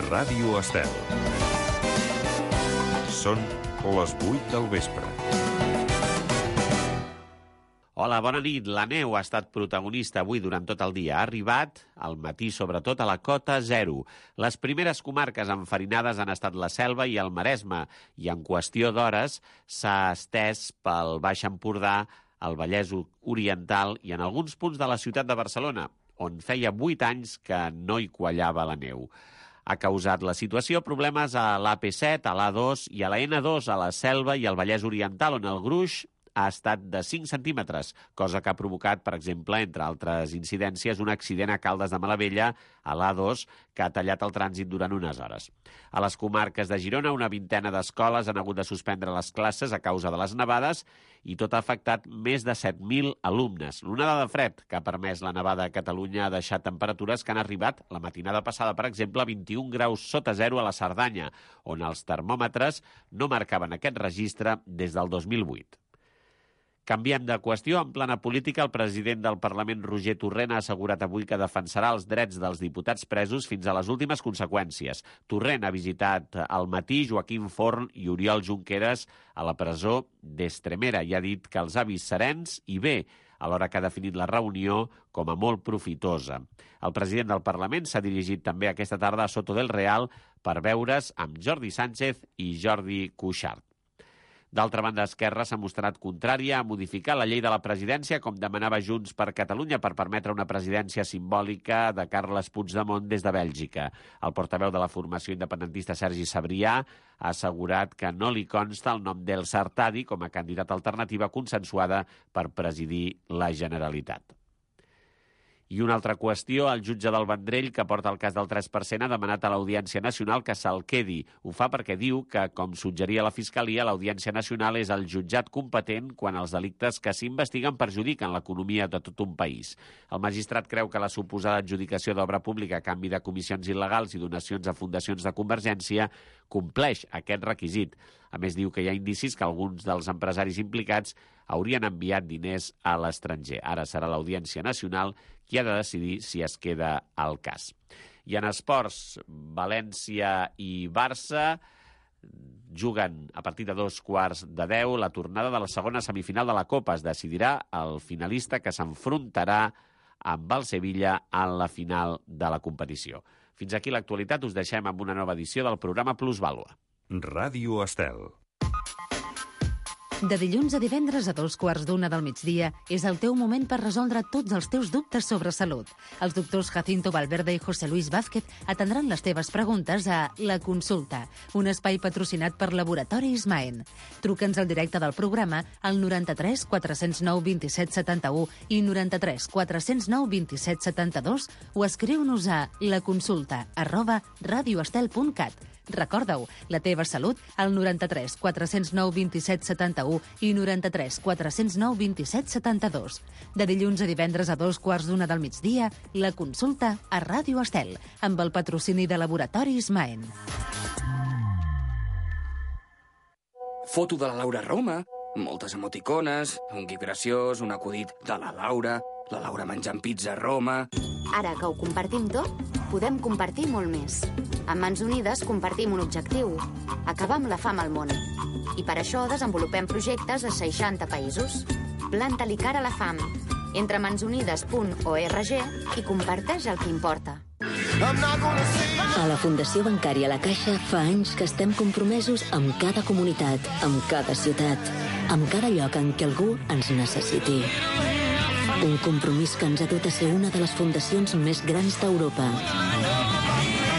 Ràdio Estel. Són les 8 del vespre. Hola, bona nit. La neu ha estat protagonista avui durant tot el dia. Ha arribat, al matí sobretot, a la cota 0. Les primeres comarques enfarinades han estat la Selva i el Maresme, i en qüestió d'hores s'ha estès pel Baix Empordà, el Vallès Oriental i en alguns punts de la ciutat de Barcelona, on feia 8 anys que no hi quallava la neu. Ha causat la situació problemes a l'AP7, a l'A2 i a la N2, a la Selva i al Vallès Oriental, on el gruix ha estat de 5 centímetres, cosa que ha provocat, per exemple, entre altres incidències, un accident a Caldes de Malavella, a l'A2, que ha tallat el trànsit durant unes hores. A les comarques de Girona, una vintena d'escoles han hagut de suspendre les classes a causa de les nevades i tot ha afectat més de 7.000 alumnes. L'onada de fred que ha permès la nevada a Catalunya ha deixat temperatures que han arribat la matinada passada, per exemple, a 21 graus sota zero a la Cerdanya, on els termòmetres no marcaven aquest registre des del 2008. Canviem de qüestió. En plana política, el president del Parlament, Roger Torrent, ha assegurat avui que defensarà els drets dels diputats presos fins a les últimes conseqüències. Torrent ha visitat al matí Joaquim Forn i Oriol Junqueras a la presó d'Estremera i ha dit que els ha vist serens i bé, alhora que ha definit la reunió com a molt profitosa. El president del Parlament s'ha dirigit també aquesta tarda a Soto del Real per veure's amb Jordi Sánchez i Jordi Cuixart. D'altra banda, Esquerra s'ha mostrat contrària a modificar la llei de la presidència, com demanava Junts per Catalunya, per permetre una presidència simbòlica de Carles Puigdemont des de Bèlgica. El portaveu de la formació independentista, Sergi Sabrià, ha assegurat que no li consta el nom d'Elsa Artadi com a candidat alternativa consensuada per presidir la Generalitat. I una altra qüestió, el jutge del Vendrell, que porta el cas del 3%, ha demanat a l'Audiència Nacional que se'l quedi. Ho fa perquè diu que, com suggeria la Fiscalia, l'Audiència Nacional és el jutjat competent quan els delictes que s'investiguen perjudiquen l'economia de tot un país. El magistrat creu que la suposada adjudicació d'obra pública a canvi de comissions il·legals i donacions a fundacions de Convergència compleix aquest requisit. A més, diu que hi ha indicis que alguns dels empresaris implicats haurien enviat diners a l'estranger. Ara serà l'Audiència Nacional qui ha de decidir si es queda al cas. I en esports, València i Barça juguen a partir de 9:15 la tornada de la segona semifinal de la Copa. Es decidirà el finalista que s'enfrontarà amb el Sevilla en la final de la competició. Fins aquí l'actualitat. Us deixem amb una nova edició del programa Plusvàlua. Ràdio Estel. De dilluns a divendres a 12:15 del migdia és el teu moment per resoldre tots els teus dubtes sobre salut. Els doctors Jacinto Valverde i José Luis Vázquez atendran les teves preguntes a La Consulta, un espai patrocinat per Laboratoris Maen. Truca'ns al directe del programa al 93 409 27 71 i 93 409 27 72 o escriu-nos a laconsulta@radioestel.cat. Recorda-ho, la teva salut al 93 409 27 71 i 93 409 27 72. De dilluns a divendres a 2:15 del migdia, La Consulta a Ràdio Estel, amb el patrocini de Laboratoris Maen. Foto de la Laura Roma, moltes emoticones, un gif graciós, un acudit de la Laura menjant pizza a Roma... Ara que ho compartim tot, podem compartir molt més. Amb Mans Unides compartim un objectiu, acabar amb la fam al món. I per això desenvolupem projectes a 60 països. Planta-li cara a la fam. Entra a mansunides.org i comparteix el que importa. A la Fundació Bancària La Caixa fa anys que estem compromesos amb cada comunitat, amb cada ciutat, amb cada lloc en què algú ens necessiti. Un compromís que ens ha dut a ser una de les fundacions més grans d'Europa.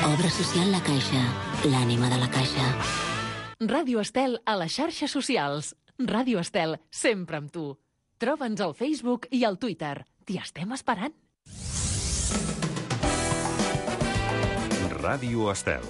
Obra social La Caixa, l'ànima de la Caixa. Ràdio Estel a les xarxes socials. Ràdio Estel, sempre amb tu. Troba'ns al Facebook i al Twitter. T'hi estem esperant. Ràdio Estel.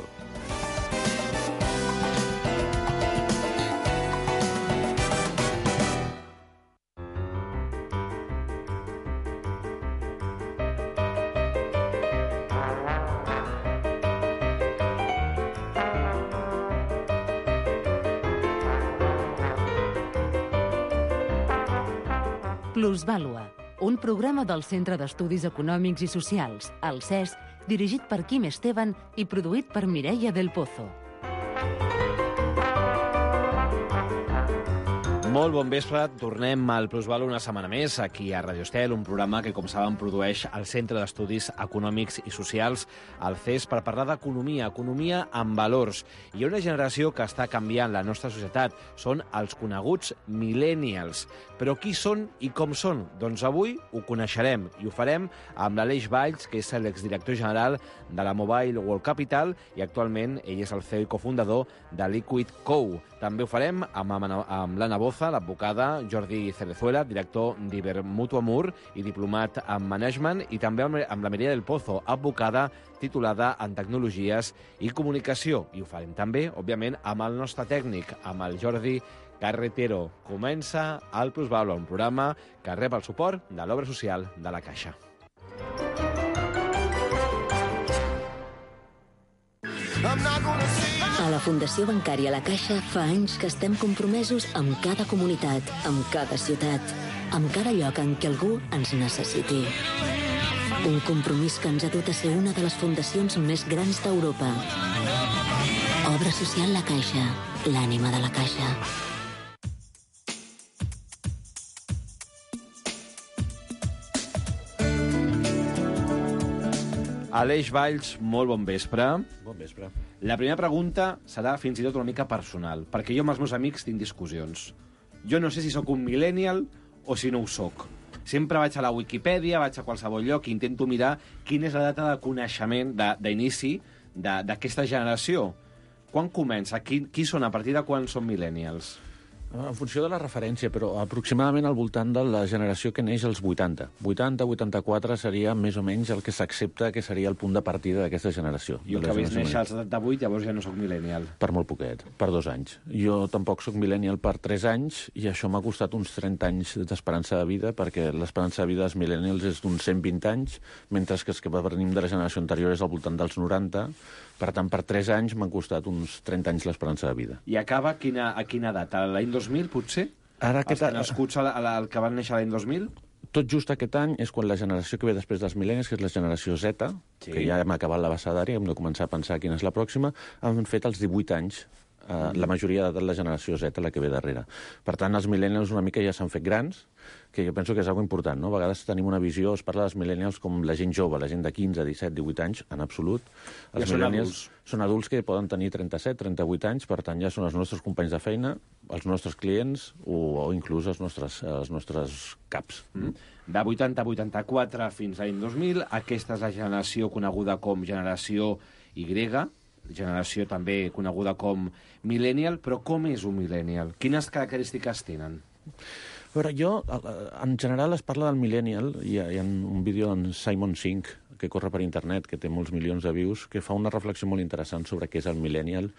Plusvàlua, un programa del Centre d'Estudis Econòmics i Socials, el CES, dirigit per Quim Esteban i produït per Mireia del Pozo. Molt bon vespre, tornem al Plusvalor una setmana més, aquí a Radio Estel, un programa que, com saben, produeix el Centre d'Estudis Econòmics i Socials, el CES, per parlar d'economia, economia amb valors. Hi ha una generació que està canviant la nostra societat, són els coneguts millennials. Però qui són i com són? Doncs avui ho coneixerem i ho farem amb l'Aleix Valls, que és l'exdirector general de la Mobile World Capital i actualment ell és el CEO i cofundador de Liquid Co. També ho farem amb l'Anna Boza, l'advocada, Jordi Cerezuela, director d'Ibermutu Amur i diplomat en management, i també amb la Mireia del Pozo, advocada titulada en tecnologies i comunicació. I ho farem també, òbviament, amb el nostre tècnic, amb el Jordi Carretero. Comença el Plusvalor, un programa que rep el suport de l'obra social de la Caixa. A la Fundació Bancària La Caixa fa anys que estem compromesos amb cada comunitat, amb cada ciutat, amb cada lloc en què algú ens necessiti. Un compromís que ens ha dut a ser una de les fundacions més grans d'Europa. Obra social La Caixa, l'ànima de la Caixa. Aleix Valls, molt bon vespre. Bon vespre. La primera pregunta serà fins i tot una mica personal, perquè jo amb els meus amics tinc discussions. Jo no sé si sóc un millennial o si no ho sóc. Sempre vaig a la Wikipedia, vaig a qualsevol lloc i intento mirar quina és la data de coneixement, d'inici d'aquesta generació. Quan comença? Qui són? A partir de quan són millennials? En funció de la referència, però aproximadament al voltant de la generació que neix als 80. 80-84 seria més o menys el que s'accepta que seria el punt de partida d'aquesta generació. I el que vaig néixer als 78, llavors ja no sóc millennial. Per molt poquet, per 2 anys. Jo tampoc sóc millennial per 3 anys i això m'ha costat uns 30 anys d'esperança de vida, perquè l'esperança de vida dels millennials és d'uns 120 anys, mentre que els que venim de la generació anterior és al voltant dels 90. Per tant, per 3 anys m'han costat uns 30 anys l'esperança de vida. I acaba a quina data? L'any 2000, potser? Ara els nascuts el que van néixer l'any 2000? Tot just aquest any és quan la generació que ve després dels mil·lennis, que és la generació Z, sí, que ja hem acabat l'abecedari, hem de començar a pensar quina és la pròxima, han fet els 18 anys, la majoria de la generació Z, la que ve darrere. Per tant, els millennials una mica ja s'han fet grans, que jo penso que és una cosa important, no? A vegades tenim una visió, es parla dels millennials com la gent jove, la gent de 15, 17, 18 anys, en absolut. Els ja millennials són adults que poden tenir 37, 38 anys, per tant ja són els nostres companys de feina, els nostres clients o inclús els nostres caps. De 80 a 84 fins a l'any 2000, aquesta és la generació coneguda com generació Y, generació també coneguda com millennial, però com és un millennial? Quines característiques tenen? A veure, en general es parla del millennial, hi ha un vídeo d'en Simon Sink, que corre per internet, que té molts milions de views, que fa una reflexió molt interessant sobre què és el millennial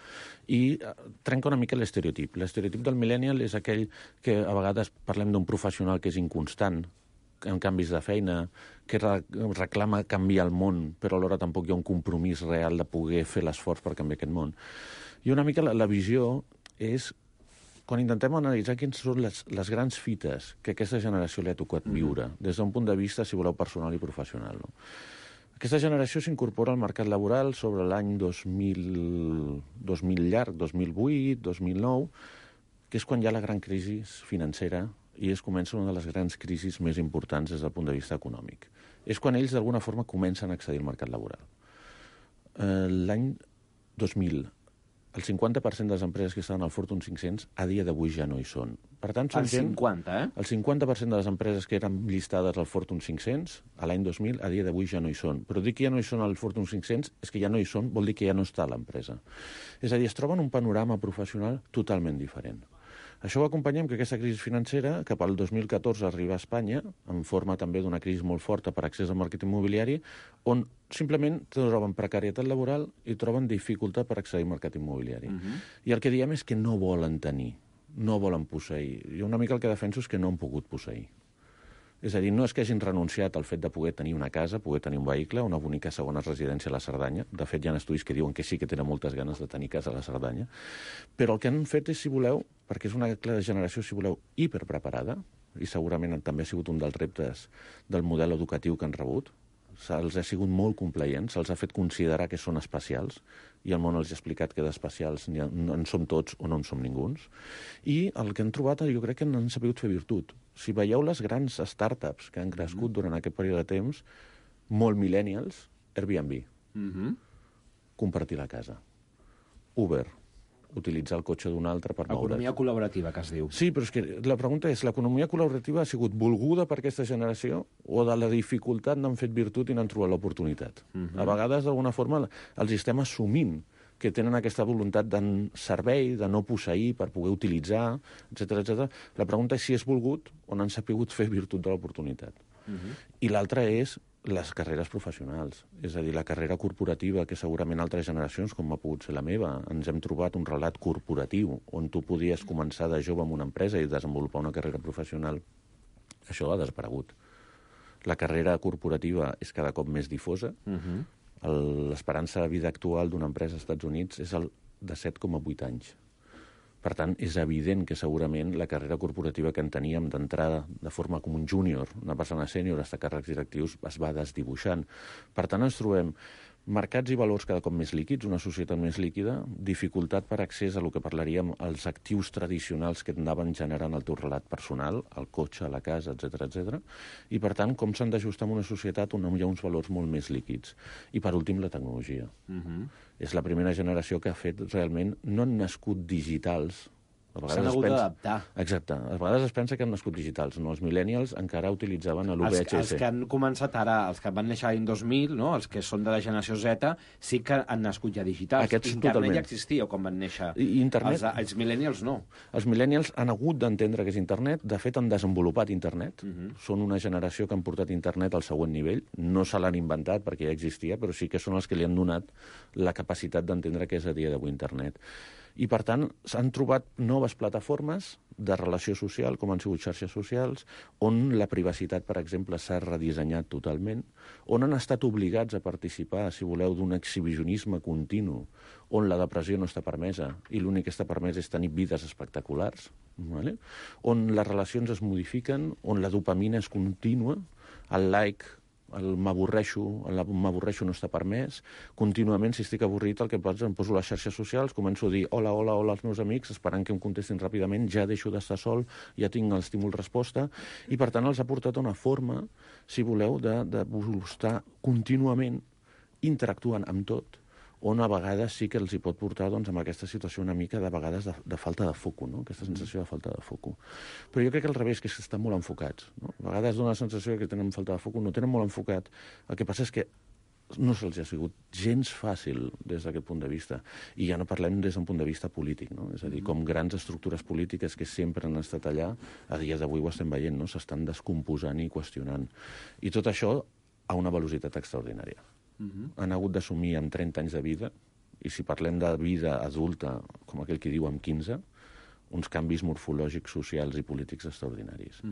i trenca una mica l'estereotip. L'estereotip del millennial és aquell que a vegades parlem d'un professional que és inconstant, en canvis de feina, que reclama canviar el món, però alhora tampoc hi ha un compromís real de poder fer l'esforç per canviar aquest món. I una mica la visió és, quan intentem analitzar quines són les grans fites que aquesta generació li ha tocat viure, des d'un punt de vista, si voleu, personal i professional. No? Aquesta generació s'incorpora al mercat laboral sobre l'any 2000 llarg, 2008, 2009, que és quan hi ha la gran crisi financera i es comença una de les grans crisis més importants des del punt de vista econòmic. És quan ells, d'alguna forma, comencen a accedir al mercat laboral. L'any 2000, el 50% de les empreses que estaven al Fortune 500 a dia d'avui ja no hi són. Per tant, són gent... 50, eh? El 50% de les empreses que eren llistades al Fortune 500 a l'any 2000 a dia d'avui ja no hi són. Però dir que ja no hi són al Fortune 500 és que ja no hi són, vol dir que ja no està a l'empresa. És a dir, es troben un panorama professional totalment diferent. Això ho acompanyem que aquesta crisi financera, cap al 2014, arriba a Espanya, en forma també d'una crisi molt forta per accés al mercat immobiliari, on simplement troben precarietat laboral i troben dificultat per accedir al mercat immobiliari. I el que diem és que no volen tenir, no volen posseir. Jo una mica el que defenso és que no han pogut posseir. És a dir, no és que hagin renunciat al fet de poder tenir una casa, poder tenir un vehicle, una bonica segona residència a la Cerdanya. De fet, hi ha estudis que diuen que sí que tenen moltes ganes de tenir casa a la Cerdanya. Però el que han fet és, si voleu, perquè és una generació, si voleu, hiperpreparada, i segurament també ha sigut un dels reptes del model educatiu que han rebut. se'ls ha sigut molt complaents, se'ls ha fet considerar que són especials, i el món els ha explicat que d'especials en som tots o no en som ninguns. I el que han trobat, jo crec que han sabut fer virtut. Si veieu les grans startups que han crescut durant aquest període de temps, molt millennials, Airbnb, compartir la casa. Uber, utilitzar el cotxe d'un altre per moure's. Economia col·laborativa, que es diu. Sí, però és que la pregunta és, l'economia col·laborativa ha sigut volguda per aquesta generació o de la dificultat n'han fet virtut i n'han trobat l'oportunitat? A vegades, d'alguna forma, els estem assumint que tenen aquesta voluntat de servei, de no posseir, per poder utilitzar, etc. La pregunta és si és volgut o n'han sabut fer virtut de l'oportunitat. I l'altra és les carreres professionals, és a dir, la carrera corporativa, que segurament altres generacions, com ha pogut ser la meva, ens hem trobat un relat corporatiu, on tu podies començar de jove en una empresa i desenvolupar una carrera professional. Això ha desaparegut. La carrera corporativa és cada cop més difosa. L'esperança de vida actual d'una empresa als Estats Units és de 7,8 anys. Per tant, és evident que segurament la carrera corporativa que en teníem d'entrada de forma com un júnior, una persona sènior, hasta càrrecs directius, es va desdibuixant. Per tant, ens trobem mercats i valors cada cop més líquids, una societat més líquida, dificultat per accés a el que parlaríem els actius tradicionals que anaven generant el teu relat personal, el cotxe, la casa, etc. I, per tant, com s'han d'ajustar en una societat on hi ha uns valors molt més líquids. I, per últim, la tecnologia. És la primera generació que ha fet realment, no han nascut digitals. S'han hagut d'adaptar. Exacte. A vegades es pensa que han nascut digitals. No, els millennials encara utilitzaven l'UVHS. Els que han començat ara, els que van néixer l'any 2000, no? Els que són de la generació Z, sí que han nascut ja digitals. Aquests Internet totalment. ja existia quan van néixer. Internet... Els millennials no. Els millennials han hagut d'entendre que és internet. De fet, han desenvolupat internet. Són una generació que han portat internet al següent nivell. No se l'han inventat perquè ja existia, però sí que són els que li han donat la capacitat d'entendre què és a dia d'avui internet. I, per tant, s'han trobat noves plataformes de relació social, com han sigut xarxes socials, on la privacitat, per exemple, s'ha redissenyat totalment, on han estat obligats a participar, si voleu, d'un exhibicionisme continu, on la depressió no està permesa i l'únic que està permès és tenir vides espectaculars, ¿vale? On les relacions es modifiquen, on la dopamina és contínua, el like, el m'avorreixo no està permès. Contínuament, si estic avorrit, el que faig, em poso a les xarxes socials, començo a dir hola als meus amics, esperant que em contestin ràpidament, ja deixo d'estar sol, ja tinc l'estímul-resposta, i per tant els ha portat una forma, si voleu, de estar contínuament interactuant amb tot, on a vegades sí que els hi pot portar amb aquesta situació una mica de vegades de falta de foco, no? Aquesta sensació de falta de foco. Però jo crec que al revés, que estan molt enfocats, no? A vegades dona la sensació que tenen falta de foco, no tenen molt enfocat. El que passa és que no se'ls ha sigut gens fàcil des d'aquest punt de vista. I ja no parlem des d'un punt de vista polític, no? És a dir, com grans estructures polítiques que sempre han estat allà, a dia d'avui ho estem veient, no? S'estan descomposant i qüestionant. I tot això a una velocitat extraordinària. Han hagut d'assumir amb 30 anys de vida, i si parlem de vida adulta, com aquell que diu amb 15, uns canvis morfològics, socials i polítics extraordinaris.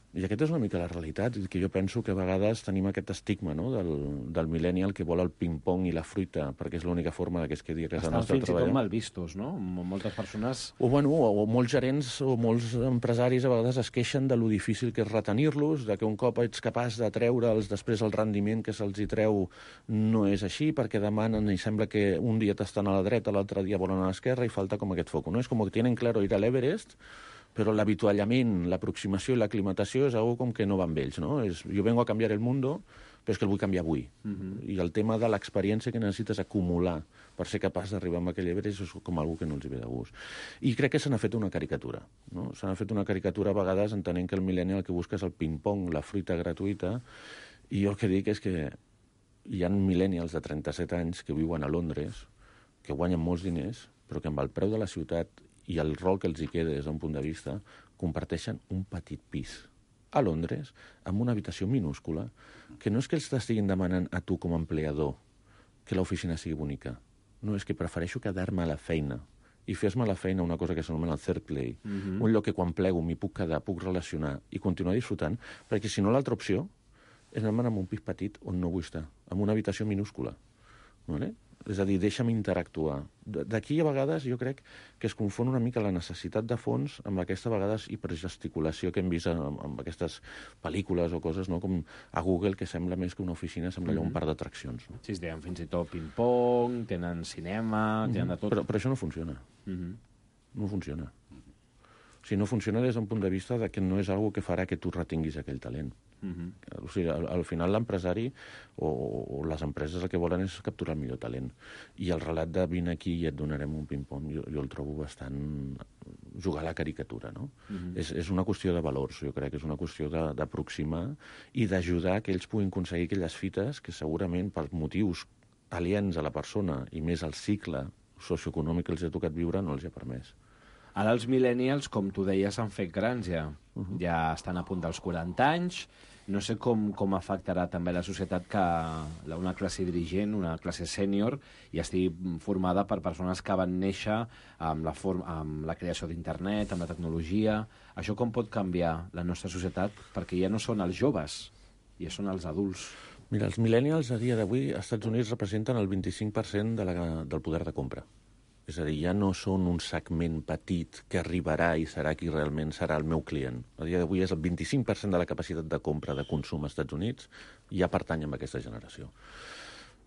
I aquesta és una mica la realitat, que jo penso que a vegades tenim aquest estigma, no?, del millennial que vol el ping-pong i la fruita, perquè és l'única forma que es quedi a casa nostra treballant. Estan fins i tot mal vistos, no? Moltes persones... O molts gerents o molts empresaris a vegades es queixen de lo difícil que és retenir-los, de que un cop ets capaç de treure'ls després el rendiment que se'ls hi treu no és així, perquè demanen i sembla que un dia t'estan a la dreta, l'altre dia volen a l'esquerra i falta com aquest foco, no? És com que tienen claro ir a l'Everest, però l'avituallament, l'aproximació i l'aclimatació és algo com que no va amb ells, no? Jo vengo a canviar el mundo, però és que el vull canviar avui. I el tema de l'experiència que necessites acumular per ser capaç d'arribar a aquell Everest és com algo que no els hi ve de gust. I crec que se n'ha fet una caricatura, no? Se n'ha fet una caricatura a vegades entenent que el millennial el que busca és el ping-pong, la fruita gratuïta, i jo el que dic és que hi ha millennials de 37 anys que viuen a Londres, que guanyen molts diners, però que amb el preu de la ciutat i el rol que els hi queda des d'un punt de vista, comparteixen un petit pis a Londres, amb una habitació minúscula, que no és que els t'estiguin demanant a tu com a empleador que l'oficina sigui bonica. No, és que prefereixo quedar-me a la feina i fer-me a la feina una cosa que s'anomena el third play, un lloc que quan plego m'hi puc quedar, puc relacionar i continuar disfrutant, perquè si no l'altra opció és anar-me'n amb un pis petit on no vull estar, amb una habitació minúscula. Vale? És a dir, deixa'm interactuar. D'aquí, a vegades, jo crec que es confon una mica la necessitat de fons amb aquesta, a vegades, hipergesticulació que hem vist amb aquestes pel·lícules o coses, no? Com a Google, que sembla més que una oficina, sembla allò un parc d'atraccions. No? Sí, tenen fins i tot ping-pong, tenen cinema, tenen de tot. Però això no funciona. No funciona. O sigui, no funciona des d'un punt de vista de que no és algo que farà que tu retinguis aquell talent. O sigui, al final l'empresari o les empreses el que volen és capturar el millor talent. I el relat de vine aquí i et donarem un ping-pong jo el trobo bastant jugar a la caricatura, no? És una qüestió de valors, jo crec que és una qüestió d'aproximar i d'ajudar que ells puguin aconseguir aquelles fites que segurament per motius aliens a la persona i més al cicle socioeconòmic que els ha tocat viure no els ha permès. Ara els millennials, com tu deies, s'han fet grans ja. Ja estan a punt dels 40 anys. No sé com afectarà també la societat que una classe dirigent, una classe sènior, i estigui formada per persones que van néixer amb la creació d'internet, amb la tecnologia. Això com pot canviar la nostra societat? Perquè ja no són els joves, ja són els adults. Mira, els millennials a dia d'avui als Estats Units representen el 25% del poder de compra. És a dir, ja no són un segment petit que arribarà i serà qui realment serà el meu client. A dia d'avui és el 25% de la capacitat de compra de consum als Estats Units i ja pertany a aquesta generació.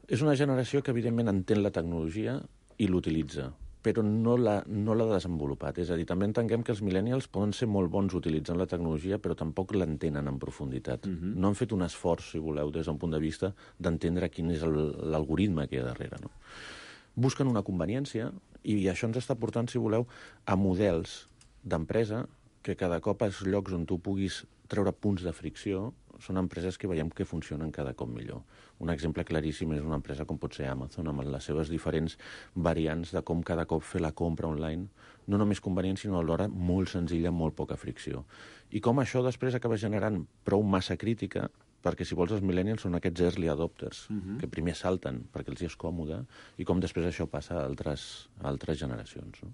És una generació que, evidentment, entén la tecnologia i l'utilitza, però no l'ha desenvolupat. És a dir, també entenguem que els millennials poden ser molt bons utilitzant la tecnologia, però tampoc l'entenen en profunditat. No han fet un esforç, si voleu, des d'un punt de vista d'entendre quin és l'algoritme que hi ha darrere, no? Busquen una conveniència i això ens està portant, si voleu, a models d'empresa que cada cop als llocs on tu puguis treure punts de fricció són empreses que veiem que funcionen cada cop millor. Un exemple claríssim és una empresa com pot ser Amazon, amb les seves diferents variants de com cada cop fer la compra online, no només convenient, sinó alhora molt senzilla, amb molt poca fricció. I com això després acaba generant prou massa crítica, perquè si vols els millennials són aquests early adopters, que primer salten perquè els és còmode, i com després això passa a altres generacions. No?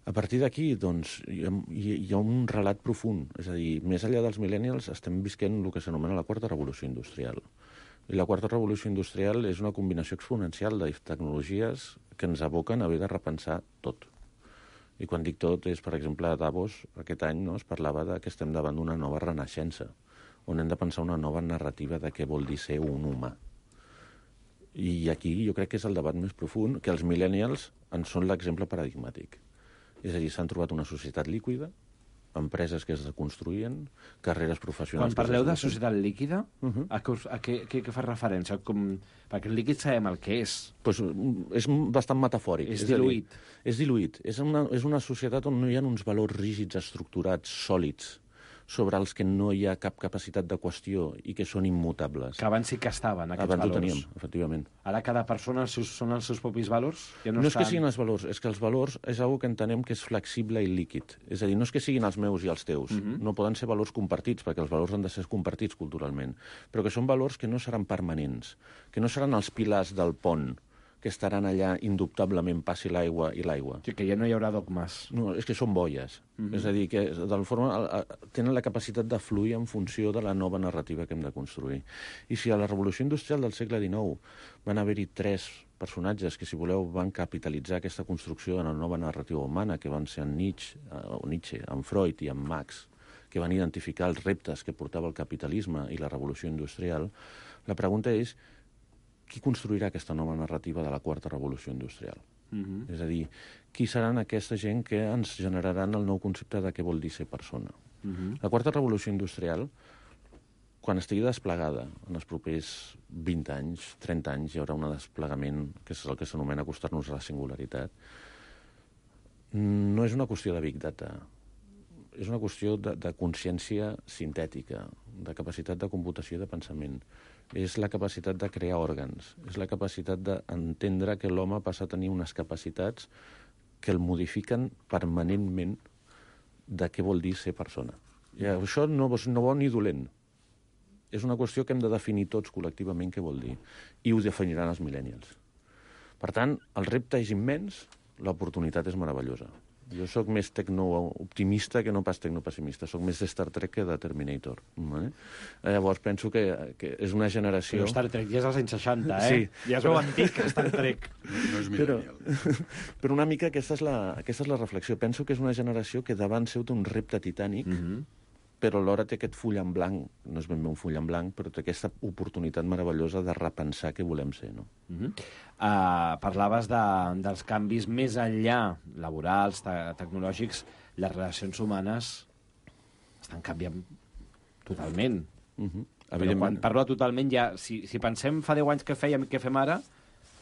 A partir d'aquí, doncs, hi ha un relat profund. És a dir, més enllà dels millennials estem visquent el que s'anomena la quarta revolució industrial. I la quarta revolució industrial és una combinació exponencial de tecnologies que ens aboquen a haver de repensar tot. I quan dic tot és, per exemple, a Davos, aquest any es parlava que estem davant d'una nova renaixença, on hem de pensar una nova narrativa de què vol dir ser un humà. I aquí jo crec que és el debat més profund, que els millennials en són l'exemple paradigmàtic. És a dir, s'han trobat una societat líquida, empreses que es reconstruïen, carreres professionals... Quan parleu de societat líquida, a què fa referència? Perquè el líquid sabem el que és. Pues és bastant metafòric. És diluït. És diluït. És una societat on no hi ha uns valors rígids, estructurats, sòlids, sobre els que no hi ha cap capacitat de qüestió i que són immutables. Que abans sí que estaven, aquests valors. Abans ho teníem, efectivament. Ara cada persona són els seus propis valors? Ja no és que siguin els valors, és que els valors és una que entenem que és flexible i líquid. És a dir, no és que siguin els meus i els teus. No poden ser valors compartits, perquè els valors han de ser compartits culturalment. Però que són valors que no seran permanents, que no seran els pilars del pont, que estaran allà indubtablement, passi l'aigua i l'aigua. Sí, que ja no hi haurà dogmes. No, és que són boies. És a dir, que tenen la capacitat de fluir en funció de la nova narrativa que hem de construir. I si a la revolució industrial del segle XIX van haver-hi 3 personatges que, si voleu, van capitalitzar aquesta construcció de la nova narrativa humana, que van ser en Nietzsche, en Freud i en Marx, que van identificar els reptes que portava el capitalisme i la revolució industrial, la pregunta és qui construirà aquesta nova narrativa de la quarta revolució industrial? És a dir, qui seran aquesta gent que ens generaran el nou concepte de què vol dir ser persona? La quarta revolució industrial, quan estigui desplegada en els propers 20 anys, 30 anys, hi haurà un desplegament que és el que s'anomena acostar-nos a la singularitat. No és una qüestió de Big Data, és una qüestió de consciència sintètica, de capacitat de computació i de pensament. És la capacitat de crear òrgans, és la capacitat d'entendre que l'home passa a tenir unes capacitats que el modifiquen permanentment de què vol dir ser persona. I això no és bo ni dolent. És una qüestió que hem de definir tots col·lectivament què vol dir. I ho definiran els millennials. Per tant, el repte és immens, l'oportunitat és meravellosa. Jo sóc més tecno-optimista que no pas tecno-pessimista. Sóc més de Star Trek que de Terminator. Vale? Llavors penso que és una generació... Però Star Trek ja és als anys 60, Sí. Ja es veu antic, Star Trek. No és millennial. Però una mica aquesta és la reflexió. Penso que és una generació que davant seu té un repte titànic, però alhora té aquest full en blanc, no és ben bé un full en blanc, però té aquesta oportunitat meravellosa de repensar què volem ser, no? Parlaves dels canvis més enllà, laborals, tecnològics, les relacions humanes estan canviant totalment. Però quan parlo totalment, ja, si pensem fa 10 anys què fèiem i què fem ara,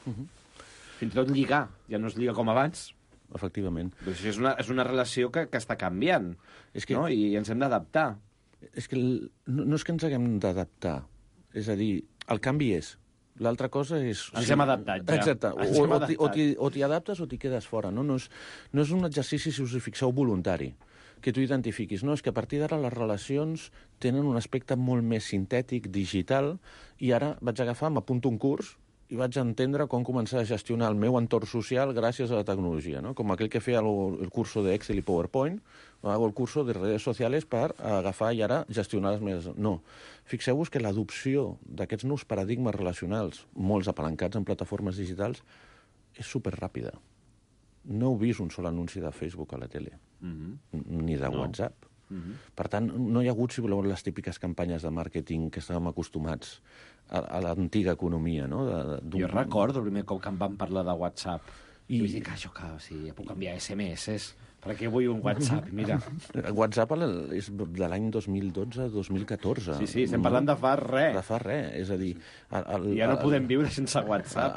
fins i tot lligar, ja no es lliga com abans. Efectivament. Doncs és una relació que està canviant, no? I ens hem d'adaptar. És que no és que ens haguem d'adaptar. És a dir, el canvi és. L'altra cosa és... Ens hem adaptat, ja. Exacte. O t'hi adaptes o t'hi quedes fora. No és un exercici, si us hi fixeu, voluntari, que tu identifiquis. No, és que a partir d'ara les relacions tenen un aspecte molt més sintètic, digital, i ara vaig agafar, m'apunto un curs, i vaig entendre com començar a gestionar el meu entorn social gràcies a la tecnologia, ¿no? Com aquell que feia el curso de Excel i PowerPoint, hago el curso de redes sociales per agafar i ara gestionar les meves... No. Fixeu-vos que l'adopció d'aquests nous paradigmes relacionals, molts apalancats en plataformes digitals, és superràpida. No heu vist un sol anunci de Facebook a la tele, ni de WhatsApp. Per tant, no hi ha hagut, si voleu, les típiques campanyes de màrqueting que estàvem acostumats a l'antiga economia, no? Jo recordo el primer cop que em van parlar de WhatsApp. I vaig dir que això, ja puc enviar SMS. Per què vull un WhatsApp? Mira. WhatsApp és de l'any 2012-2014. Sí, estem parlant de fa res. De fa res, és a dir... Ja no podem viure sense WhatsApp.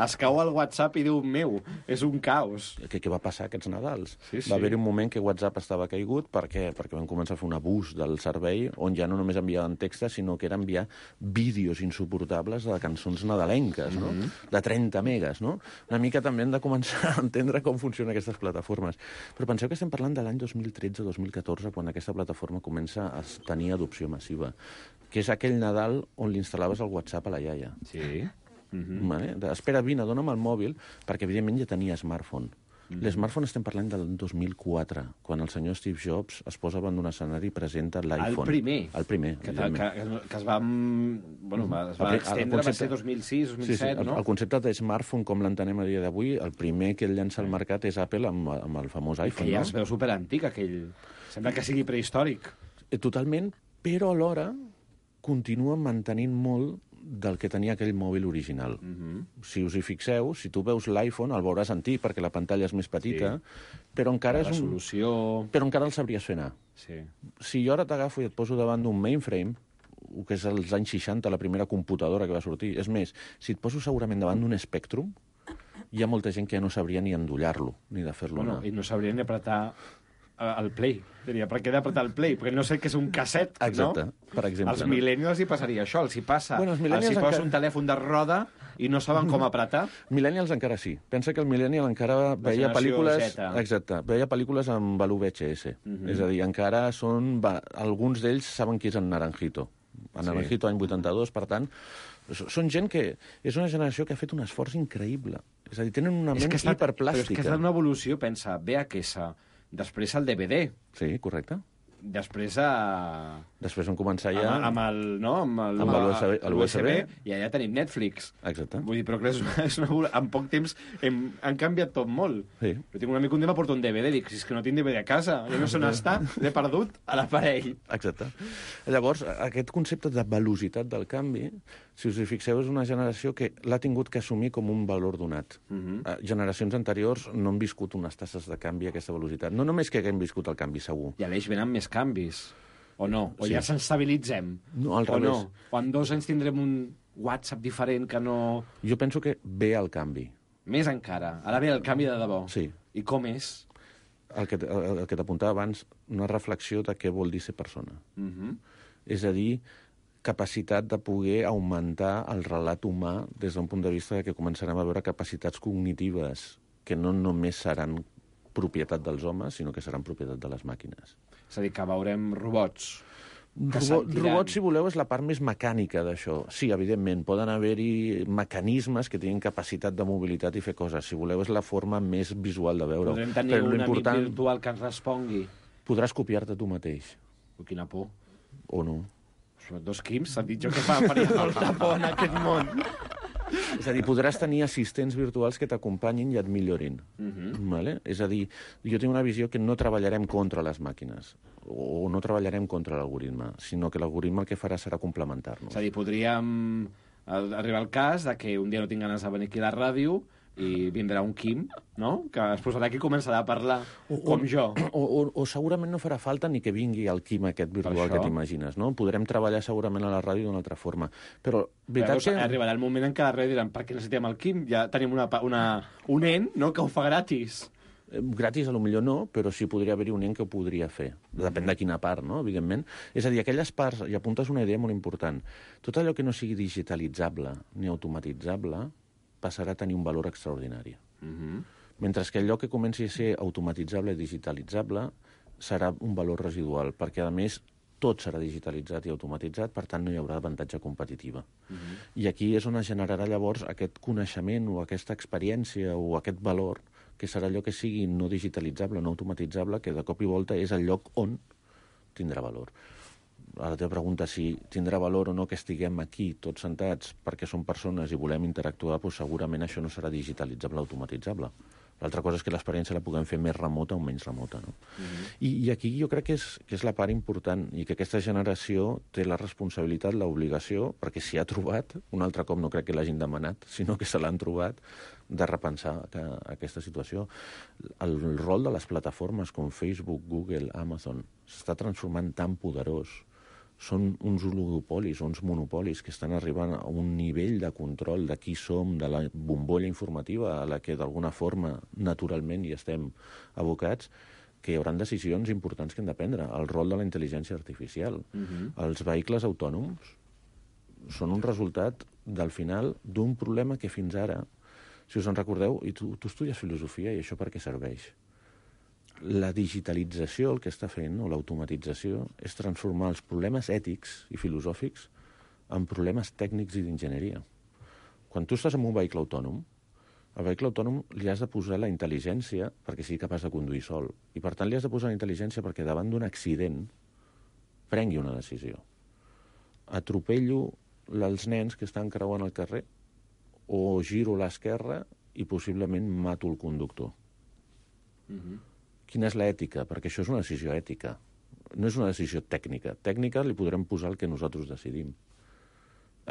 Es cau el WhatsApp i diu, meu, és un caos. Què va passar aquests Nadals? Sí. Va haver-hi un moment que WhatsApp estava caigut perquè van començar a fer un abús del servei on ja no només enviaven textos, sinó que era enviar vídeos insuportables de cançons nadalenques, no? De 30 megas, no? Una mica també hem de començar a entendre com funcionen aquestes plataformes. Però penseu que estem parlant de l'any 2013-2014, quan aquesta plataforma comença a tenir adopció massiva, que és aquell Nadal on li instal·laves el WhatsApp a la iaia. Sí. Vale? Espera, vine, dona'm el mòbil, perquè evidentment ja tenia smartphone. L'smartphone estem parlant del 2004, quan el senyor Steve Jobs es posa davant d'un escenari i presenta l'iPhone. El primer. Que es va... Bueno, es va extendre, va ser 2006, 2007, no? El concepte de smartphone, com l'entenem a dia d'avui, el primer que ell llança al mercat és Apple amb el famós iPhone. Que ja es veu superantic, aquell... Sembla que sigui prehistòric. Totalment, però alhora continua mantenint molt del que tenia aquell mòbil original. Si us hi fixeu, si tu veus l'iPhone, el veuràs antic perquè la pantalla és més petita, però encara és però encara el sabries fer anar. Si jo ara t'agafo i et poso davant d'un mainframe, que és als anys 60, la primera computadora que va sortir, és més, si et poso segurament davant d'un Spectrum, hi ha molta gent que ja no sabria ni endollar-lo, ni de fer-lo anar. I no sabria ni apretar el play. Diria, per què he d'apretar el play? Perquè no sé què és un casset, no? Exacte, per exemple. Als millennials hi passaria això, els hi passa. Els hi posa un telèfon de roda i no saben com apretar. Millennials encara sí. Pensa que el millennial encara veia pel·lícules... Z. Exacte, veia pel·lícules amb l'VHS. És a dir, encara són... Alguns d'ells saben qui és en Naranjito. En Naranjito, any 82, per tant... Són gent que... És una generació que ha fet un esforç increïble. És a dir, tenen una ment hiperplàstica. Però és que és una evolució, pensa, VHS... Després el DVD. Sí, correcte. Després vam començar ja... Amb el USB. I allà tenim Netflix. Exacte. Vull dir, però que en poc temps han canviat tot molt. Sí. Jo tinc un amic un dia m'aporta un DVD, dic, si és que no tinc DVD a casa, ja no sé on està, l'he perdut a l'aparell. Exacte. Llavors, aquest concepte de velocitat del canvi, si us hi fixeu, és una generació que l'ha tingut que assumir com un valor donat. Generacions anteriors no han viscut unes tasses de canvi a aquesta velocitat. No només que haguem viscut el canvi, segur. I a l'eix venen més canvis. O no? O ja s'estabilitzem? No, al revés. O en 2 anys tindrem un WhatsApp diferent que no... Jo penso que ve el canvi. Més encara. Ara ve el canvi de debò. Sí. I com és? El que t'apuntava abans, una reflexió de què vol dir ser persona. És a dir, capacitat de poder augmentar el relat humà des d'un punt de vista que començarem a veure capacitats cognitives que no només seran propietat dels homes, sinó que seran propietat de les màquines. És a dir, que veurem robots. Robots, si voleu, és la part més mecànica d'això. Sí, evidentment, poden haver-hi mecanismes que tinguin capacitat de mobilitat i fer coses. Si voleu, és la forma més visual de veure-ho. Podrem tenir un amic virtual que ens respongui. Podràs copiar-te tu mateix. Quina por. O no. Són dos Quims, s'han dit jo que faria molta por en aquest món. És a dir, podràs tenir assistents virtuals que t'acompanyin i et millorin. Vale? És a dir, jo tinc una visió que no treballarem contra les màquines o no treballarem contra l'algoritme, sinó que l'algoritme el que farà serà complementar-nos. És a dir, podríem arribar al cas de que un dia no tinc ganes de venir aquí a la ràdio i vindrà un Quim, no?, que es posarà aquí i començarà a parlar com jo. O segurament no farà falta ni que vingui el Quim aquest virtual que t'imagines, no? Podrem treballar segurament a la ràdio d'una altra forma. Però veritat que... Arribarà el moment en què a la ràdio diran per què necessitem el Quim? Ja tenim un ent, no?, que ho fa gratis. Gratis a lo millor no, però sí podria haver-hi un ent que ho podria fer. Depèn de quina part, no?, evidentment. És a dir, aquelles parts, i apuntes una idea molt important, tot allò que no sigui digitalitzable ni automatitzable passarà a tenir un valor extraordinari. Mentre que allò que comenci a ser automatitzable i digitalitzable serà un valor residual, perquè, a més, tot serà digitalitzat i automatitzat, per tant, no hi haurà avantatge competitiva. I aquí és on es generarà llavors aquest coneixement o aquesta experiència o aquest valor, que serà allò que sigui no digitalitzable, no automatitzable, que de cop i volta és el lloc on tindrà valor. La teva pregunta, si tindrà valor o no que estiguem aquí tots sentats perquè som persones i volem interactuar, doncs segurament això no serà digitalitzable o automatitzable. L'altra cosa és que l'experiència la puguem fer més remota o menys remota, no? I aquí jo crec que és la part important i que aquesta generació té la responsabilitat, l'obligació, perquè s'hi ha trobat, un altre cop no crec que l'hagin demanat, sinó que se l'han trobat, de repensar aquesta situació. El rol de les plataformes com Facebook, Google, Amazon s'està transformant tan poderós. Són uns oligopolis, uns monopolis que estan arribant a un nivell de control de qui som, de la bombolla informativa a la que d'alguna forma naturalment hi estem abocats, que hi haurà decisions importants que hem de prendre. El rol de la intel·ligència artificial. Els vehicles autònoms són un resultat, del final, d'un problema que fins ara, si us en recordeu, i tu estudies filosofia i això per què serveix? La digitalització, el que està fent, o l'automatització, és transformar els problemes ètics i filosòfics en problemes tècnics i d'enginyeria. Quan tu estàs en un vehicle autònom, al vehicle autònom li has de posar la intel·ligència perquè sigui capaç de conduir sol. I, per tant, li has de posar la intel·ligència perquè davant d'un accident prengui una decisió. Atropello els nens que estan creuant el carrer o giro a l'esquerra i possiblement mato el conductor. Quina és l'ètica? Perquè això és una decisió ètica. No és una decisió tècnica. Tècnica li podrem posar el que nosaltres decidim.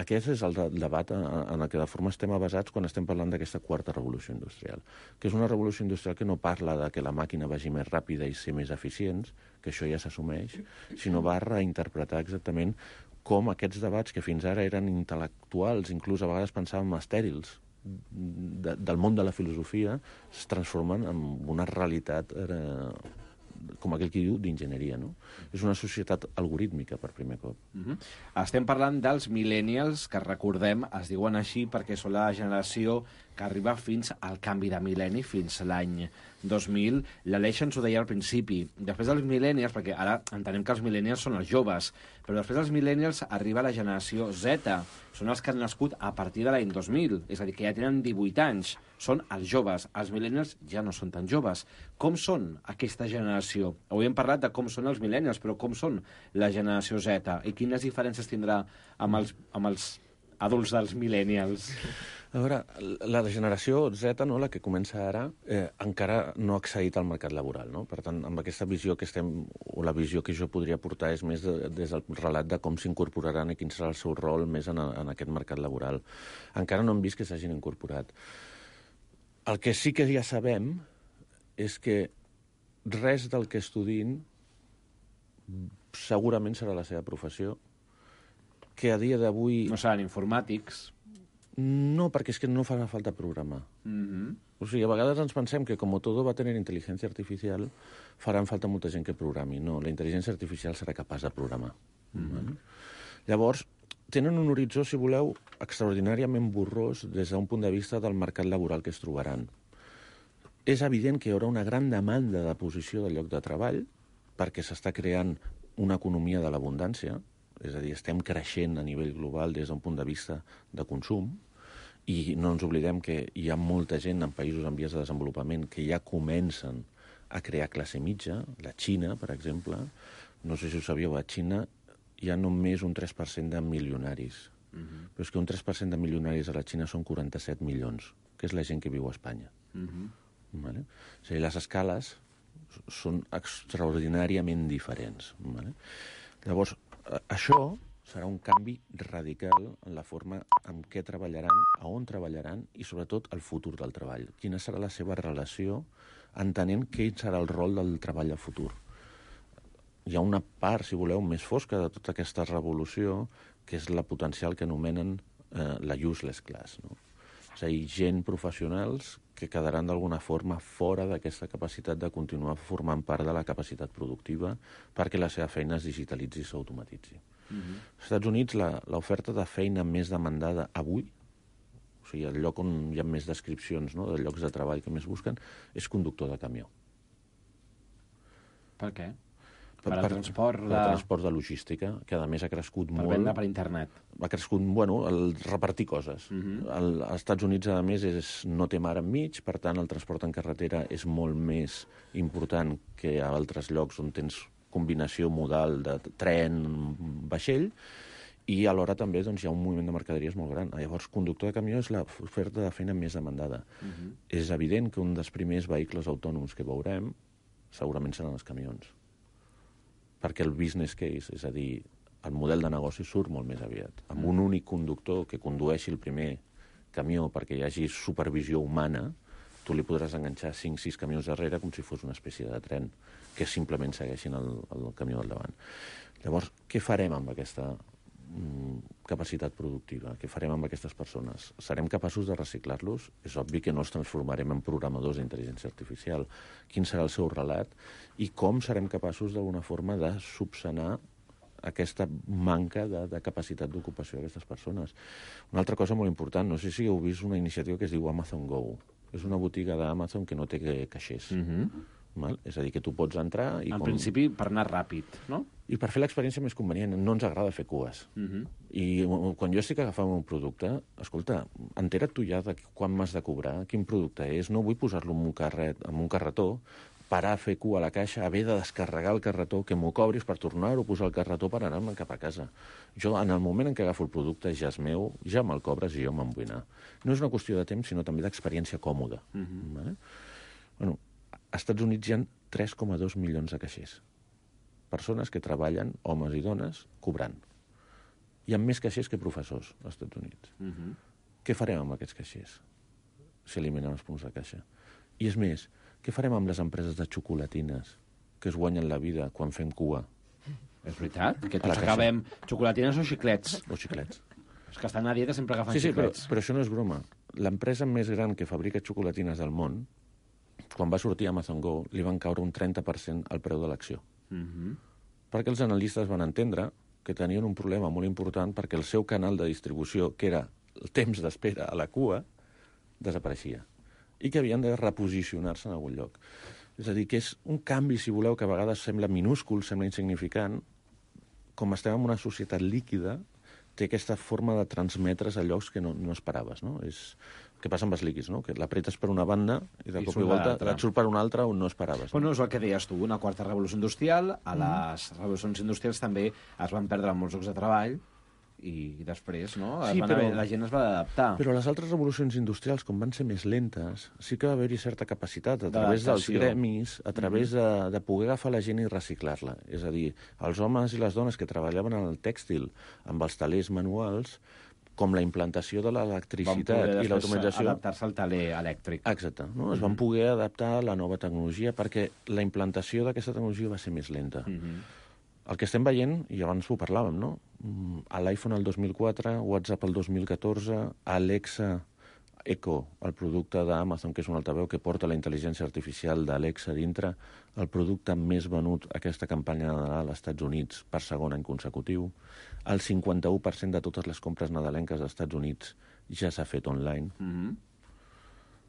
Aquest és el debat en el que de forma estem basats quan estem parlant d'aquesta quarta revolució industrial, que és una revolució industrial que no parla de que la màquina vagi més ràpida i ser més eficients, que això ja s'assumeix, sinó va reinterpretar exactament com aquests debats que fins ara eren intel·lectuals, inclús a vegades pensàvem estèrils, del món de la filosofia, es transformen en una realitat, com aquell que diu, d'enginyeria, no? És una societat algorítmica, per primer cop. Estem parlant dels millennials, que recordem, es diuen així perquè són la generació que arriba fins al canvi de mil·lenni, fins l'any 2000. L'Aleix ens ho deia al principi. Després dels millennials, perquè ara entenem que els millennials són els joves, però després dels millennials arriba la generació Z. Són els que han nascut a partir de l'any 2000, és a dir, que ja tenen 18 anys. Són els joves. Els millennials ja no són tan joves. Com són aquesta generació? Avui hem parlat de com són els millennials, però com són la generació Z? I quines diferències tindrà amb els adults dels millennials? A veure, la generació Z, no, la que comença ara, encara no ha accedit al mercat laboral, no? Per tant, amb aquesta visió que estem, o la visió que jo podria portar és més des del relat de com s'incorporaran i quin serà el seu rol més en aquest mercat laboral. Encara no hem vist que s'hagin incorporat. El que sí que ja sabem és que res del que estudin segurament serà la seva professió, que a dia d'avui... No seran informàtics... No, perquè és que no farà falta programar. O sigui, a vegades ens pensem que com todo va tenir intel·ligència artificial, faran falta molta gent que programi. No, la intel·ligència artificial serà capaç de programar. Llavors, tenen un horitzó, si voleu, extraordinàriament borrós des d'un punt de vista del mercat laboral que es trobaran. És evident que hi haurà una gran demanda de posició de lloc de treball, perquè s'està creant una economia de l'abundància, és a dir, estem creixent a nivell global des d'un punt de vista de consum, i no ens oblidem que hi ha molta gent en països en vies de desenvolupament que ja comencen a crear classe mitja. La Xina, per exemple, no sé si ho sabíeu, a Xina hi ha només un 3% de milionaris. Però és que un 3% de milionaris a la Xina són 47 milions, que és la gent que viu a Espanya. Vale? O sigui, les escales són extraordinàriament diferents. Vale? Llavors, això serà un canvi radical en la forma en què treballaran, a on treballaran i, sobretot, el futur del treball. Quina serà la seva relació, entenent quin serà el rol del treball a futur. Hi ha una part, si voleu, més fosca de tota aquesta revolució, que és la potencial que anomenen la useless class, no? És a dir, gent professionals que quedaran d'alguna forma fora d'aquesta capacitat de continuar formant part de la capacitat productiva perquè la seva feina es digitalitzi i s'automatitzi. Als Estats Units, l'oferta de feina més demandada avui, o sigui, el lloc on hi ha més descripcions, no?, de llocs de treball que més busquen, és conductor de camió. Per què? Per al transport de... transport de logística, que a més ha crescut molt. Per vendre per internet. Ha crescut, bueno, el repartir coses. Als Estats Units, a més, no té mar enmig, per tant, el transport en carretera és molt més important que a altres llocs on tens combinació modal de tren, vaixell, i alhora també doncs, hi ha un moviment de mercaderies molt gran. Llavors, conductor de camió és l'oferta de feina més demandada. És evident que un dels primers vehicles autònoms que veurem segurament seran els camions. Perquè el business case, és a dir, el model de negoci surt molt més aviat. Amb un únic conductor que condueixi el primer camió perquè hi hagi supervisió humana, tu li podràs enganxar 5-6 camions darrere com si fos una espècie de tren que simplement segueixin el camió al davant. Llavors, què farem amb aquesta capacitat productiva? Què farem amb aquestes persones? Serem capaços de reciclar-los? És obvi que no els transformarem en programadors d'intel·ligència artificial. Quin serà el seu relat? I com serem capaços d'alguna forma de subsanar aquesta manca de capacitat d'ocupació d'aquestes persones? Una altra cosa molt important, no sé si heu vist una iniciativa que es diu Amazon Go. És una botiga d'Amazon que no té caixers. És a dir, que tu pots entrar... En principi, per anar ràpid, no? I per fer l'experiència més convenient. No ens agrada fer cues. I quan jo estic agafant un producte, escolta, entera't tu ja de quan m'has de cobrar, quin producte és, no vull posar-lo en un carretó, parar a fer cua a la caixa, haver de descarregar el carretó, que m'ho cobris per tornar-ho a posar al carretó per anar-me'n cap a casa. Jo, en el moment en què agafo el producte, ja és meu, ja me'l cobres i jo me'n vull anar. No és una qüestió de temps, sinó també d'experiència còmoda. Bueno, als Estats Units hi ha 3,2 milions de caixers. Persones que treballen, homes i dones, cobrant. Hi ha més caixers que professors als Estats Units. Què farem amb aquests caixers si eliminem els punts de caixa? I és més, què farem amb les empreses de xocolatines que es guanyen la vida quan fem cua? És veritat, que tots acabem xocolatines o xiclets. O xiclets. Els que estan a dieta sempre agafen xiclets. Però això no és broma. L'empresa més gran que fabrica xocolatines del món, quan va sortir Amazon Go, li van caure un 30% al preu de l'acció. Perquè els analistes van entendre que tenien un problema molt important perquè el seu canal de distribució, que era el temps d'espera a la cua, desapareixia. I que havien de reposicionar-se en algun lloc. És a dir, que és un canvi, si voleu, que a vegades sembla minúscul, sembla insignificant. Com estem en una societat líquida, té aquesta forma de transmetre's a llocs que no esperaves, no? És el que passa amb els líquids, no? Que l'apretes per una banda i de cop i volta et surt per una altra on no esperaves. Bueno, és el que deies tu, una quarta revolució industrial. A les revolucions industrials també es van perdre molts llocs de treball i després, no? La gent es va adaptar. Però les altres revolucions industrials, com van ser més lentes, sí que va haver-hi certa capacitat a través dels gremis, a través de poder agafar la gent i reciclar-la. És a dir, els homes i les dones que treballaven en el tèxtil amb els telers manuals, com la implantació de l'electricitat i l'automatització... Van adaptar-se al teler elèctric. Exacte. No? Es van poder adaptar a la nova tecnologia perquè la implantació d'aquesta tecnologia va ser més lenta. El que estem veient, i abans ho parlàvem, no? A l'iPhone el 2004, WhatsApp el 2014, Alexa Echo, el producte d'Amazon, que és un altaveu que porta la intel·ligència artificial d'Alexa dintre, el producte més venut aquesta campanya de Nadal als Estats Units per segon any consecutiu. El 51% de totes les compres nadalenques als Estats Units ja s'ha fet online.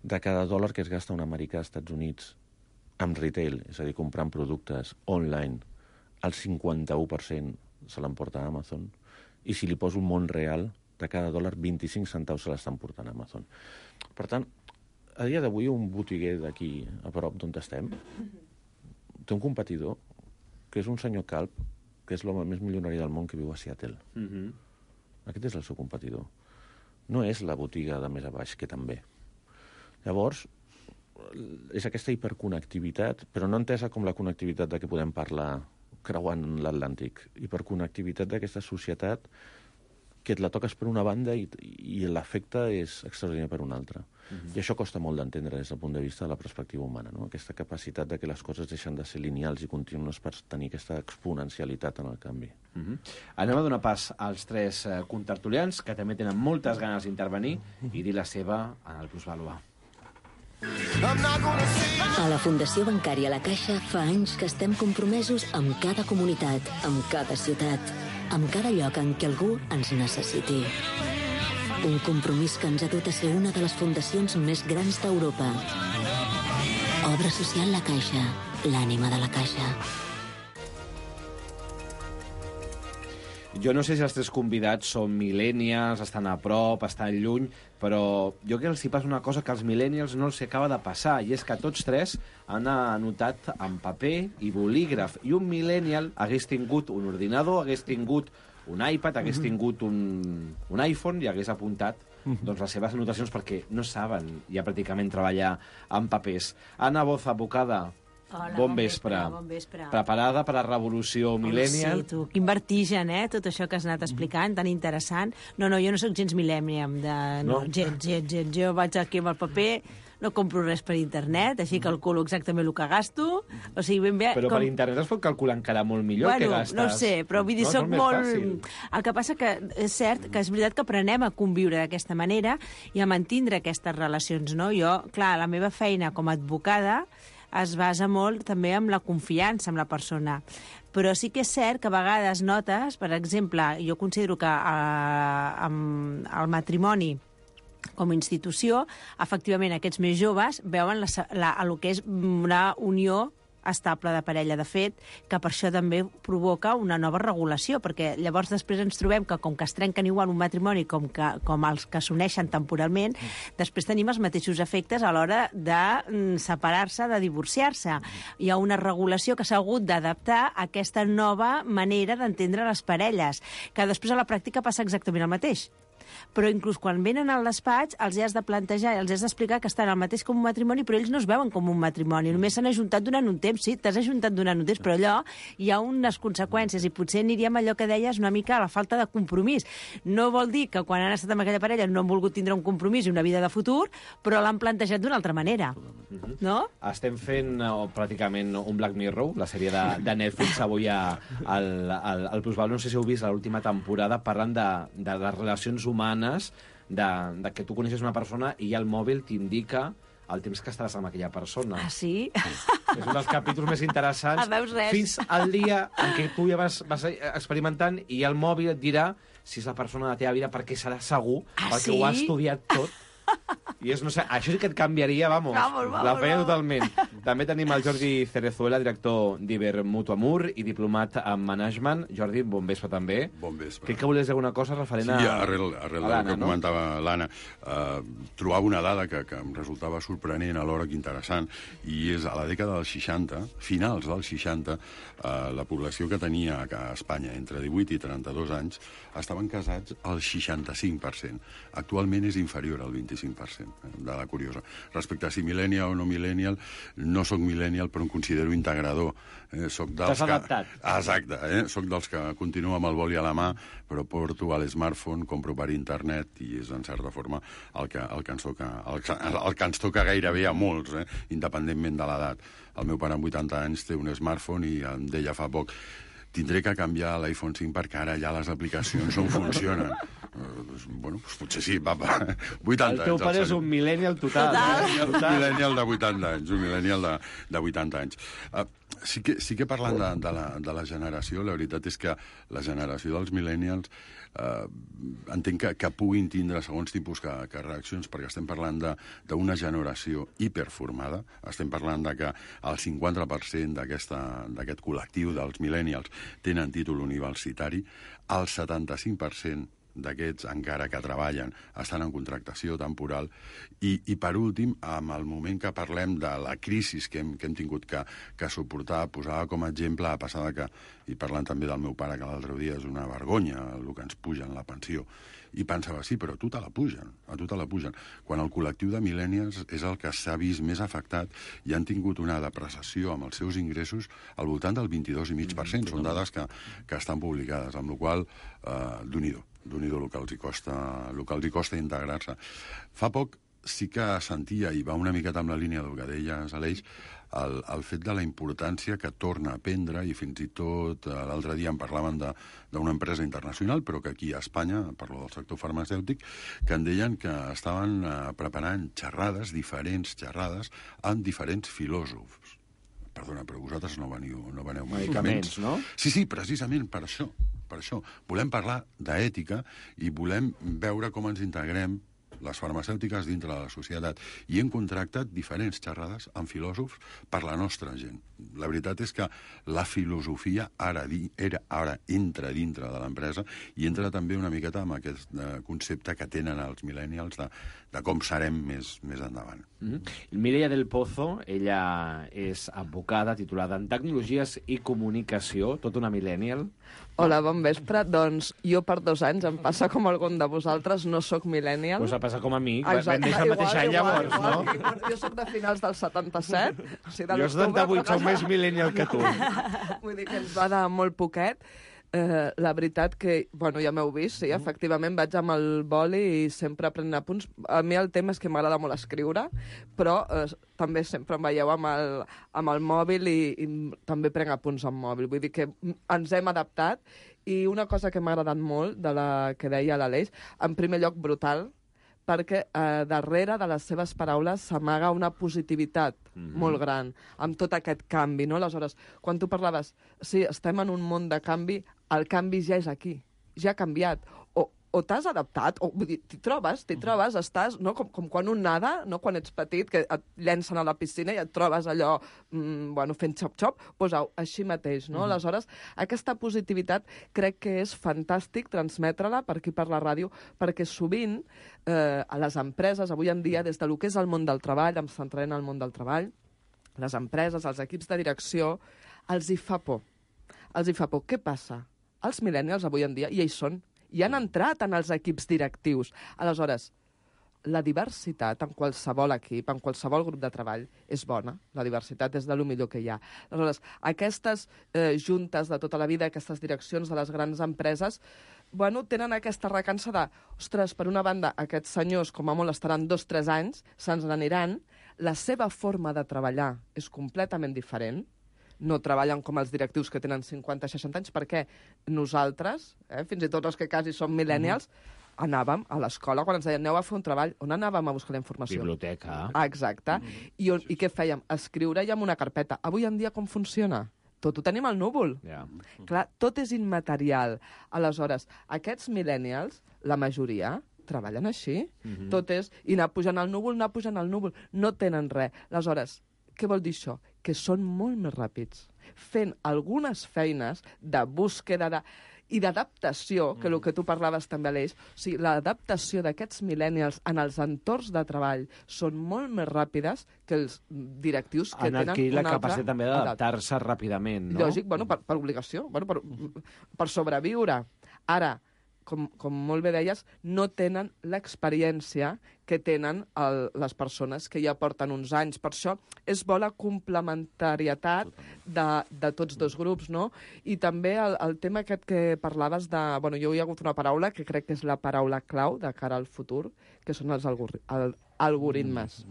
De cada dòlar que es gasta un americà als Estats Units amb retail, és a dir, comprant productes online, el 51% se l'emporta Amazon, i si li poso un món real, de cada dòlar, 25 centaus se l'estan portant a Amazon. Per tant, a dia d'avui, un botiguer d'aquí, a prop d'on estem, té un competidor, que és un senyor calb, que és l'home més milionari del món, que viu a Seattle. Aquest és el seu competidor. No és la botiga de més a baix, que també. Llavors, és aquesta hiperconnectivitat, però no entesa com la connectivitat de què podem parlar creuant l'Atlàntic, hiperconnectivitat d'aquesta societat que et la toques per una banda i l'efecte és extraordinari per una altra. I això costa molt d'entendre des del punt de vista de la perspectiva humana, no? Aquesta capacitat de que les coses deixen de ser lineals i contínues per tenir aquesta exponencialitat en el canvi. Anem a donar pas als 3 contertulians, que també tenen moltes ganes d'intervenir i dir la seva en el Plusvalua. A la Fundació Bancària La Caixa fa anys que estem compromesos amb cada comunitat, amb cada ciutat, amb cada lloc en què algú ens necessiti. Un compromís que ens ha dut a ser una de les fundacions més grans d'Europa. Obra social La Caixa, l'ànima de la Caixa. Jo no sé si els 3 convidats són millennials, estan a prop, estan lluny, però jo crec que els hi passa una cosa que als millennials no els acaba de passar, i és que tots 3 han anotat en paper i bolígraf, i un millennial hagués tingut un ordinador, hagués tingut un iPad, hagués tingut un iPhone i hagués apuntat doncs, les seves anotacions, perquè no saben ja pràcticament treballar amb papers. Anna Boz, advocada. Hola, bon vespre. Bon vespre. Preparada per la revolució millennial? Sí, tu, quin vertigen, tot això que has anat explicant, tan interessant. No, jo no sóc gens millennial, gens. Jo vaig aquí amb el paper, no compro res per internet, així calculo exactament el que gasto. O sigui, ben bé... Però per internet es pot calcular encara molt millor que gastes. No ho sé, però vull dir, soc molt... El que passa que és cert que és veritat que aprenem a conviure d'aquesta manera i a mantindre aquestes relacions, no? Jo, clar, la meva feina com a advocada es basa molt també en la confiança amb la persona. Però sí que és cert que a vegades notes, per exemple, jo considero que el matrimoni com a institució, efectivament, aquests més joves veuen el que és una unió estable de parella. De fet, que per això també provoca una nova regulació, perquè llavors després ens trobem que com que es trenquen igual un matrimoni com els que s'uneixen temporalment, després tenim els mateixos efectes a l'hora de separar-se, de divorciar-se. Hi ha una regulació que s'ha hagut d'adaptar a aquesta nova manera d'entendre les parelles, que després a la pràctica passa exactament el mateix. Però inclús quan venen al despatx els has de plantejar, els has d'explicar que estan al mateix com un matrimoni, però ells no es veuen com un matrimoni, només s'han ajuntat durant un temps. Sí, t'has ajuntat durant un temps, però allò hi ha unes conseqüències, i potser aniríem allò que deies una mica a la falta de compromís. No vol dir que quan han estat amb aquella parella no han volgut tindre un compromís i una vida de futur, però l'han plantejat d'una altra manera. No? Estem fent pràcticament un Black Mirror, la sèrie de Netflix, avui al Plusvalua. No sé si heu vist l'última temporada, parlant de les relacions humanes, de que tu coneixes una persona i el mòbil t'indica el temps que estaràs amb aquella persona. Ah, sí? És un dels capítols més interessants. Fins al dia en què tu ja vas experimentant i el mòbil et dirà si és la persona de la teva vida, perquè serà segur, perquè ho ha estudiat tot. I no sé, això sí que et canviaria, la feina totalment. També tenim el Jordi Cerezuela, director d'Ibermutuamur i diplomat en management. Jordi, bon vespre també. Bon vespre. Crec que volies dir alguna cosa referent a... Sí, arrel del que comentava l'Anna. Trobava una dada que em resultava sorprenent, alhora que interessant, i és a la dècada dels 60, finals dels 60, la població que tenia a Espanya entre 18 i 32 anys estaven casats al 65%. Actualment és inferior al 25%. Dada curiosa. Respecte a si millennial o no millennial, no sóc millennial, però em considero integrador. T'has adaptat. Exacte. Soc dels que continuo amb el boli a la mà, però porto a l'smartphone, compro per internet, i és, en certa forma, el que ens toca gairebé a molts, independentment de l'edat. El meu pare amb 80 anys té un smartphone i em deia fa poc: tindré que canviar l'iPhone 5 perquè ara ja les aplicacions no funcionen. Bueno, potser sí, papa. 80 anys. El teu pare és un millennial total. Un millennial de 80 anys, un millennial de 80 anys. Sí que parlant de la generació, la veritat és que la generació dels millennials entenc que puguin tindre segons tipus que reaccions, perquè estem parlant d'una generació hiperformada, estem parlant de que el 50% d'aquest col·lectiu dels millennials tenen títol universitari, el 75% d'aquests, encara que treballen, estan en contractació temporal, i per últim, amb el moment que parlem de la crisi que hem tingut que suportar, posava com a exemple a passar que, i parlant també del meu pare, que l'altre dia és una vergonya el que ens pugen la pensió, i pensava, sí, però a tu te la pugen. Quan el col·lectiu de millennials és el que s'ha vist més afectat i han tingut una depreciació amb els seus ingressos al voltant del 22,5%. Són dades que estan publicades, amb la qual cosa, Déu-n'hi-do el que els hi costa integrar-se. Fa poc sí que sentia, i va una miqueta amb la línia del que deies, Aleix, el fet de la importància que torna a prendre, i fins i tot l'altre dia en parlaven d'una empresa internacional, però que aquí a Espanya, parlo del sector farmacèutic, que en deien que estaven preparant diferents xerrades, amb diferents filòsofs. Perdona, però vosaltres no veneu medicaments, no? Sí, precisament per això. Volem parlar d'ètica i volem veure com ens integrem les farmacèutiques dintre de la societat. I hem contractat diferents xerrades amb filòsofs per la nostra gent. La veritat és que la filosofia ara entra dintre de l'empresa i entra també una miqueta amb aquest concepte que tenen els millennials de com serem més endavant. Mireia del Pozo, ella és advocada titulada en Tecnologies i Comunicació, tot una millennial. Hola, bon vespre. Doncs jo per 2 anys em passa com algun de vosaltres, no sóc millennial. Pues passa com a mi, vam néixer el mateix any llavors, no? Jo sóc de finals del 77. O sigui, jo 78, sóc més millennial que tu. Vull dir que ens va de molt poquet. La veritat que, bueno, ja m'heu vist, sí, efectivament vaig amb el boli i sempre prenent apunts. A mi el tema és que m'agrada molt escriure, però també sempre em veieu amb el mòbil i també prenc apunts amb mòbil. Vull dir que ens hem adaptat, i una cosa que m'ha agradat molt de la que deia l'Aleix, en primer lloc brutal, perquè darrere de les seves paraules s'amaga una positivitat molt gran, amb tot aquest canvi, no? Aleshores, quan tu parlaves, sí, estem en un món de canvi, el canvi ja és aquí, ja ha canviat, o t'has adaptat, o vull dir, t'hi trobes, estàs, no? Com quan un nada, no? Quan ets petit, que et llencen a la piscina i et trobes allò, fent xop-xop, doncs així mateix, no? Aleshores, aquesta positivitat crec que és fantàstic transmetre-la per aquí per la ràdio, perquè sovint a les empreses, avui en dia, des del que és el món del treball, em centraré en el món del treball, les empreses, els equips de direcció, els hi fa por. Què passa? Els millennials avui en dia, i ells són, i han entrat en els equips directius. Aleshores, la diversitat en qualsevol equip, en qualsevol grup de treball, és bona. La diversitat és de lo millor que hi ha. Aleshores, aquestes juntes de tota la vida, aquestes direccions de les grans empreses, tenen aquesta recança de, ostres, per una banda, aquests senyors, com a molt, estaran 2-3 anys, se'ns n'aniran, la seva forma de treballar és completament diferent, no treballen com els directius que tenen 50-60 anys, perquè nosaltres, fins i tot els que quasi som millennials, anàvem a l'escola, quan ens deien aneu a fer un treball, on anàvem a buscar la informació? Biblioteca. Exacte. I què fèiem? Escriure ja en una carpeta. Avui en dia com funciona? Tot ho tenim al núvol. Clar, tot és immaterial. Aleshores, aquests millennials, la majoria, treballen així. Tot és i anar pujant al núvol, no tenen res. Aleshores, què vol dir això? Que són molt més ràpids, fent algunes feines de búsqueda i d'adaptació, que el que tu parlaves també, Aleix. O sigui, l'adaptació d'aquests millennials en els entorns de treball són molt més ràpides que els directius que tenen aquí la capacitat també d'adaptar-se ràpidament, no? Lògic, per obligació, per sobreviure. Ara, com molt bé deies, no tenen l'experiència que tenen les persones que ja porten uns anys. Per això és bona complementarietat de tots dos grups, no? I també el tema aquest que parlaves de... Jo hi ha hagut una paraula que crec que és la paraula clau de cara al futur, que són els algoritmes.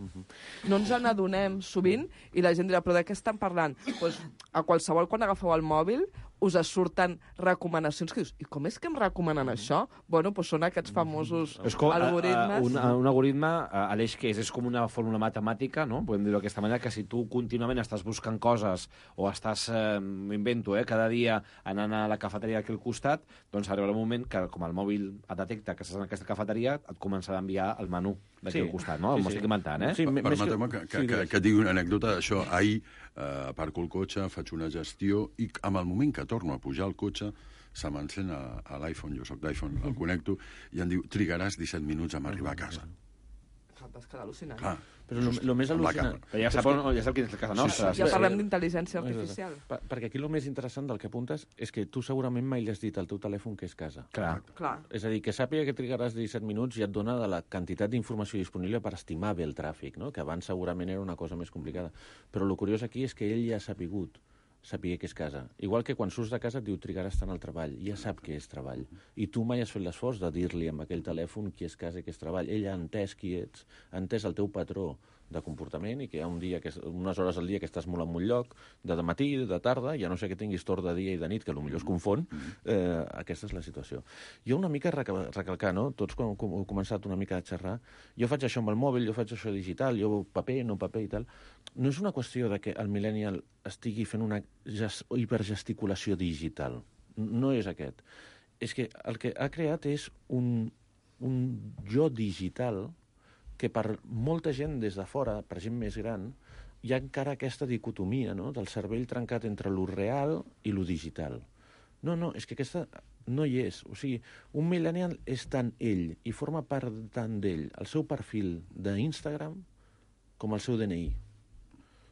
No ens n'adonem sovint i la gent dirà, però de què estan parlant? Doncs a qualsevol, quan agafeu el mòbil, us surten recomanacions que dius, i com és que em recomanen això? Bueno, doncs són aquests famosos algoritmes. Un algoritme, Aleix, que és com una fórmula matemàtica, no? Podem dir-ho d'aquesta manera, que si tu contínuament estàs buscant coses o estàs, m'invento, cada dia anant a la cafeteria aquí al costat, doncs arribarà un moment que, com el mòbil et detecta que estàs en aquesta cafeteria, et començarà a enviar el menú d'aquí al costat, no? M'ho estic inventant, eh? Permeteu-me que et digui una anècdota. Això, ahir aparco el cotxe, faig una gestió i en el moment que torno a pujar al cotxe se m'encén a l'iPhone, jo soc d'iPhone, el connecto, i em diu, trigaràs 17 minuts a arribar a casa. Vas quedar al·lucinant. Clar, però el més al·lucinant... Ja sap quina és casa nostra. Ja parlem d'intel·ligència artificial. Perquè aquí el més interessant del que apuntes és que tu segurament mai li has dit al teu telèfon que és casa. Clar. És a dir, que sàpiga que trigaràs 17 minuts i et dona de la quantitat d'informació disponible per estimar bé el tràfic, no? Que abans segurament era una cosa més complicada. Però el curiós aquí és que ell ja ha sapigut saber que és casa. Igual que quan surts de casa et diu trigaràs tant al treball. Ja sap que és treball. I tu mai has fet l'esforç de dir-li amb aquell telèfon qui és casa i qui és treball. Ell ha entès qui ets, ha entès el teu patró de comportament i que hi ha unes hores al dia que estàs molt en un lloc, de matí, de tarda, ja no sé que tinguis torn de dia i de nit, que potser es confon, aquesta és la situació. Jo una mica recalcar, no? Tots quan heu començat una mica a xerrar, jo faig això amb el mòbil, jo faig això digital, jo paper, no paper i tal. No és una qüestió de que el millennial estigui fent una hipergesticulació digital. No és aquest. És que el que ha creat és un jo digital que per molta gent des de fora, per gent més gran, hi ha encara aquesta dicotomia, no?, del cervell trencat entre lo real i lo digital. No, és que aquesta no hi és. O sigui, un millennial és tant ell i forma part tant d'ell el seu perfil d'Instagram com el seu DNI.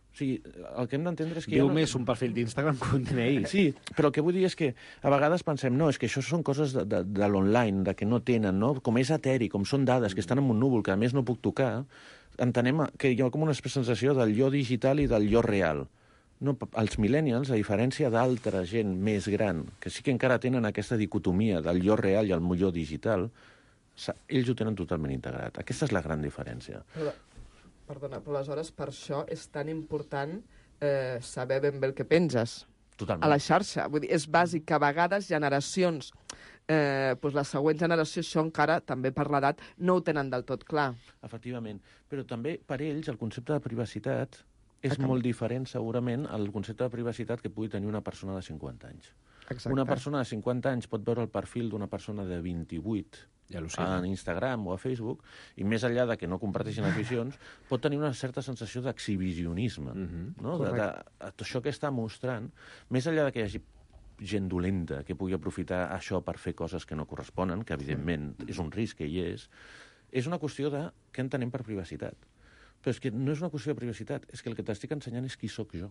O sigui, el que hem d'entendre és que... Diu més un perfil d'Instagram que un DNI. Sí, però el que vull dir és que a vegades pensem, no, és que això són coses de l'online, de que no tenen, no? Com és eteri, com són dades que estan en un núvol, que a més no puc tocar, entenem que hi ha com una sensació del jo digital i del jo real. No, els millennials, a diferència d'altra gent més gran, que sí que encara tenen aquesta dicotomia del jo real i el jo digital, ells ho tenen totalment integrat. Aquesta és la gran diferència. Perdona, però aleshores per això és tan important saber ben bé el que penges. Totalment. A la xarxa. Vull dir, és bàsic que a vegades generacions, doncs la següent generació, això encara, també per l'edat, no ho tenen del tot clar. Efectivament. Però també per ells el concepte de privacitat és molt diferent, segurament, al concepte de privacitat que pugui tenir una persona de 50 anys. Exacte. Una persona de 50 anys pot veure el perfil d'una persona de 28 a Instagram o a Facebook, i més enllà de que no comparteixin aficions, pot tenir una certa sensació d'exhibicionisme. No? Això que està mostrant, més enllà de que hi hagi gent dolenta que pugui aprofitar això per fer coses que no corresponen, que evidentment és un risc que hi és una qüestió de què entenem per privacitat. Però és que no és una qüestió de privacitat, és que el que t'estic ensenyant és qui sóc jo.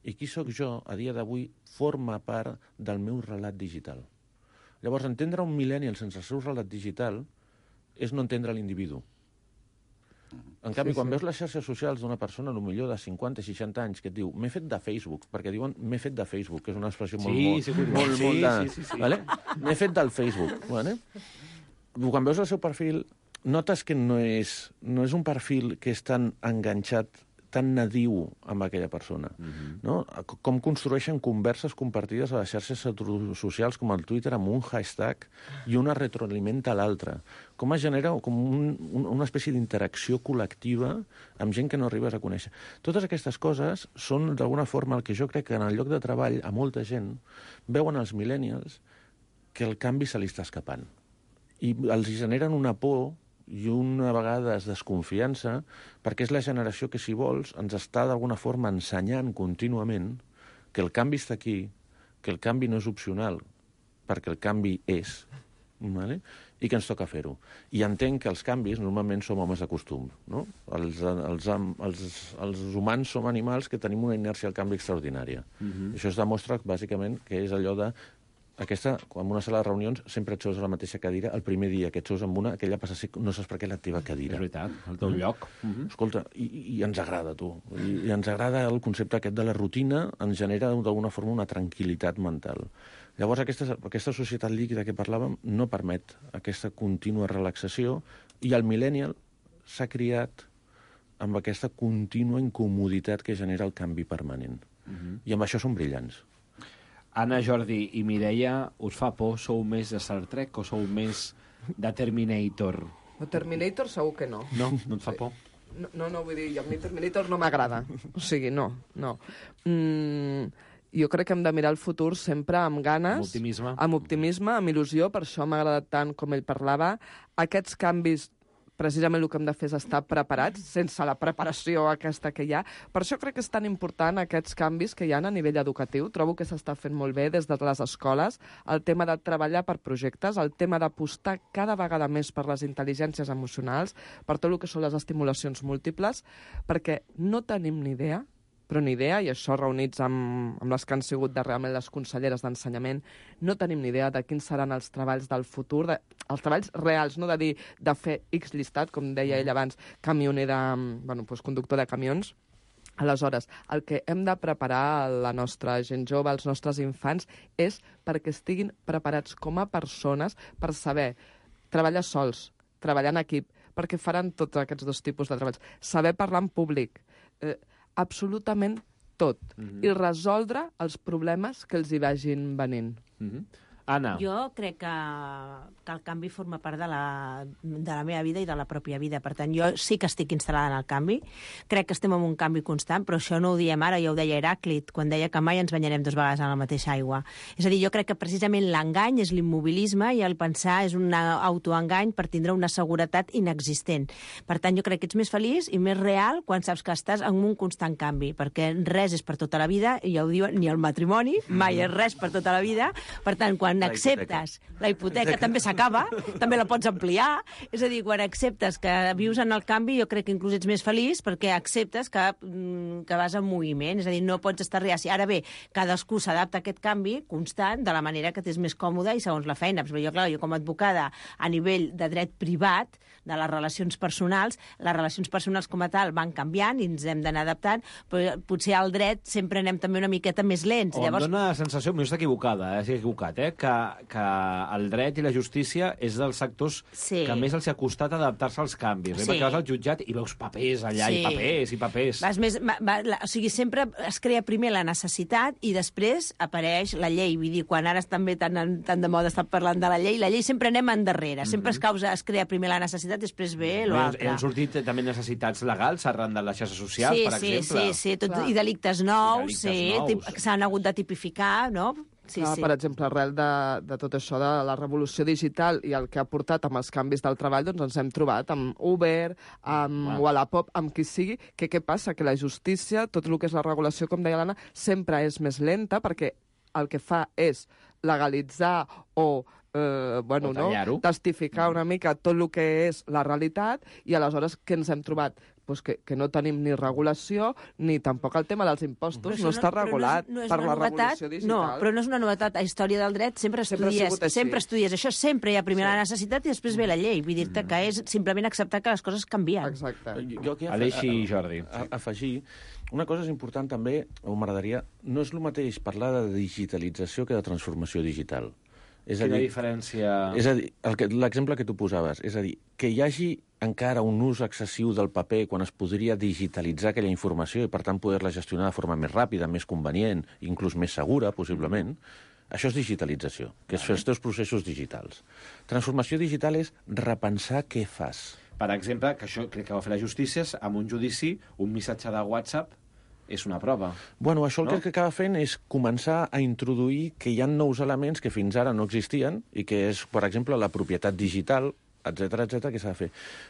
I qui sóc jo, a dia d'avui, forma part del meu relat digital. Llavors, entendre un millennial sense el seu relat digital és no entendre l'individu. En canvi, quan veus les xarxes socials d'una persona, potser de 50 o 60 anys, que et diu m'he fet de Facebook, perquè diuen m'he fet de Facebook, que és una expressió m'he fet del Facebook. Vale? Quan veus el seu perfil, notes que no és un perfil que és tan enganxat, tan nadiu amb aquella persona. No? Com construeixen converses compartides a les xarxes socials com el Twitter amb un hashtag i una retroalimenta a l'altra. Com es genera com una espècie d'interacció col·lectiva amb gent que no arribes a conèixer. Totes aquestes coses són, d'alguna forma, el que jo crec que en el lloc de treball a molta gent veuen els millennials que el canvi se li està escapant. I els generen una por i una vegada desconfiança, perquè és la generació que, si vols, ens està d'alguna forma ensenyant contínuament que el canvi està aquí, que el canvi no és opcional, perquè el canvi és, vale? I que ens toca fer-ho. I entenc que els canvis normalment som homes de costum. No? Els humans som animals que tenim una inèrcia al canvi extraordinària. Això es demostra, bàsicament, que és allò de en una sala de reunions sempre et seus a la mateixa cadira, el primer dia que et seus amb una, aquella passa a ser, no saps per què la teva cadira. És veritat, el teu lloc. Escolta, i ens agrada, tu. I ens agrada el concepte aquest de la rutina, ens genera d'alguna forma una tranquil·litat mental. Llavors, aquesta societat líquida que parlàvem no permet aquesta contínua relaxació, i el millennial s'ha criat amb aquesta contínua incomoditat que genera el canvi permanent. I amb això són brillants. Anna, Jordi i Mireia, us fa por? Sou més de Star Trek o sou més de Terminator? De Terminator segur que no. No? No et fa por? No, vull dir, a mi Terminator no m'agrada. O sigui, no. Jo crec que hem de mirar el futur sempre amb ganes. Amb optimisme. Amb optimisme, amb il·lusió, per això m'ha agradat tant com ell parlava. Aquests canvis, precisament el que hem de fer és estar preparats, sense la preparació aquesta que hi ha. Per això crec que és tan important aquests canvis que hi ha a nivell educatiu. Trobo que s'està fent molt bé des de les escoles, el tema de treballar per projectes, el tema d'apostar cada vegada més per les intel·ligències emocionals, per tot el que són les estimulacions múltiples, perquè no tenim ni idea, però ni idea, i això reunits amb les que han sigut realment les conselleres d'ensenyament, no tenim ni idea de quins seran els treballs del futur, els treballs reals, no de dir de fer X llistat, com deia ell abans, camioner conductor de camions. Aleshores, el que hem de preparar la nostra gent jove, els nostres infants, és perquè estiguin preparats com a persones per saber treballar sols, treballar en equip, perquè faran tots aquests dos tipus de treballs. Saber parlar en públic, absolutament tot, i resoldre els problemes que els hi vagin venint. Anna. Jo crec que el canvi forma part de la meva vida i de la pròpia vida. Per tant, jo sí que estic instal·lada en el canvi. Crec que estem en un canvi constant, però això no ho diem ara, ja ho deia Heràclit, quan deia que mai ens banyarem 2 vegades en la mateixa aigua. És a dir, jo crec que precisament l'engany és l'immobilisme i el pensar és un autoengany per tindre una seguretat inexistent. Per tant, jo crec que ets més feliç i més real quan saps que estàs en un constant canvi, perquè res és per tota la vida, i ja ho diuen, ni el matrimoni, mai és res per tota la vida. Per tant, quan acceptes la hipoteca també s'acaba, també la pots ampliar, és a dir, quan acceptes que vius en el canvi, jo crec que inclús ets més feliç perquè acceptes que vas en moviment, és a dir, no pots estar reaci. Ara bé, cadascú s'adapta a aquest canvi constant de la manera que t'és més còmode i segons la feina. Però jo com a advocada a nivell de dret privat, de les relacions personals com a tal van canviant i ens hem d'anar adaptant, però potser al dret sempre anem també una miqueta més lents. Llavors... Em dóna la sensació, m'ho està equivocada, estic equivocat, que el dret i la justícia és dels sectors que més els ha costat adaptar-se als canvis. Perquè vas al jutjat i veus papers allà, i papers. O sigui, sempre es crea primer la necessitat i després apareix la llei. Vull dir, quan ara també tan de moda estar parlant de la llei sempre anem endarrere. Sempre es crea primer la necessitat, després ve l'altre. Han sortit també necessitats legals arran de les xarxes socials, per exemple. Sí, i delictes nous, que s'han hagut de tipificar, no? Per exemple, arrel de tot això de la revolució digital i el que ha portat amb els canvis del treball, doncs ens hem trobat amb Uber, amb Wallapop, amb qui sigui, que què passa? Que la justícia, tot el que és la regulació, com deia l'Anna, sempre és més lenta perquè el que fa és legalitzar o testificar una mica tot el que és la realitat, i aleshores què ens hem trobat? Pues que no tenim ni regulació ni tampoc el tema dels impostos, no està regulat per la revolució digital. No, però no és una novetat. A història del dret sempre estudies això, sempre hi ha primer la necessitat i després ve la llei. Vull dir-te que és simplement acceptar que les coses canvien. Exacte. Jo aquí Aleixi i Jordi. Afegir, una cosa és important també, o m'agradaria, no és el mateix parlar de digitalització que de transformació digital. Quina diferència? És a dir, l'exemple que tu posaves, és a dir, que hi hagi encara un ús excessiu del paper quan es podria digitalitzar aquella informació i, per tant, poder-la gestionar de forma més ràpida, més convenient, inclús més segura, possiblement, això és digitalització, que és fer els teus processos digitals. Transformació digital és repensar què fas. Per exemple, que això crec que va fer la justícia, amb un judici, un missatge de WhatsApp és una prova. Bueno, això el que acaba fent és començar a introduir que hi ha nous elements que fins ara no existien i que és, per exemple, la propietat digital, etc que s'ha de fer.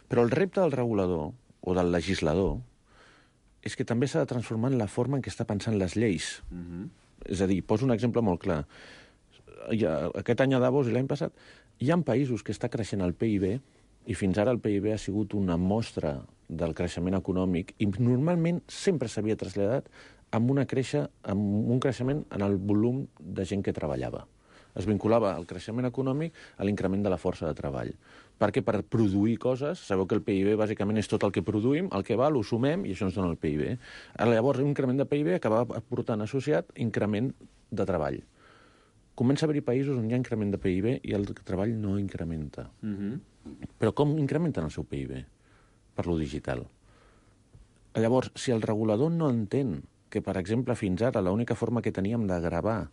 Però el repte del regulador o del legislador és que també s'ha de transformar en la forma en què està pensant les lleis. És a dir, poso un exemple molt clar. Aquest any a Davos i l'any passat hi ha països que està creixent el PIB i fins ara el PIB ha sigut una mostra del creixement econòmic i normalment sempre s'havia traslladat amb un creixement en el volum de gent que treballava. Es vinculava el creixement econòmic a l'increment de la força de treball. Perquè per produir coses, sabeu que el PIB bàsicament és tot el que produïm, el que val, ho sumem i això ens dona el PIB. Llavors, un increment de PIB acaba portant associat increment de treball. Comença a haver-hi països on hi ha increment de PIB i el treball no incrementa. Però com incrementen el seu PIB? Per lo digital. Llavors, si el regulador no entén que, per exemple, fins ara l'única forma que teníem de gravar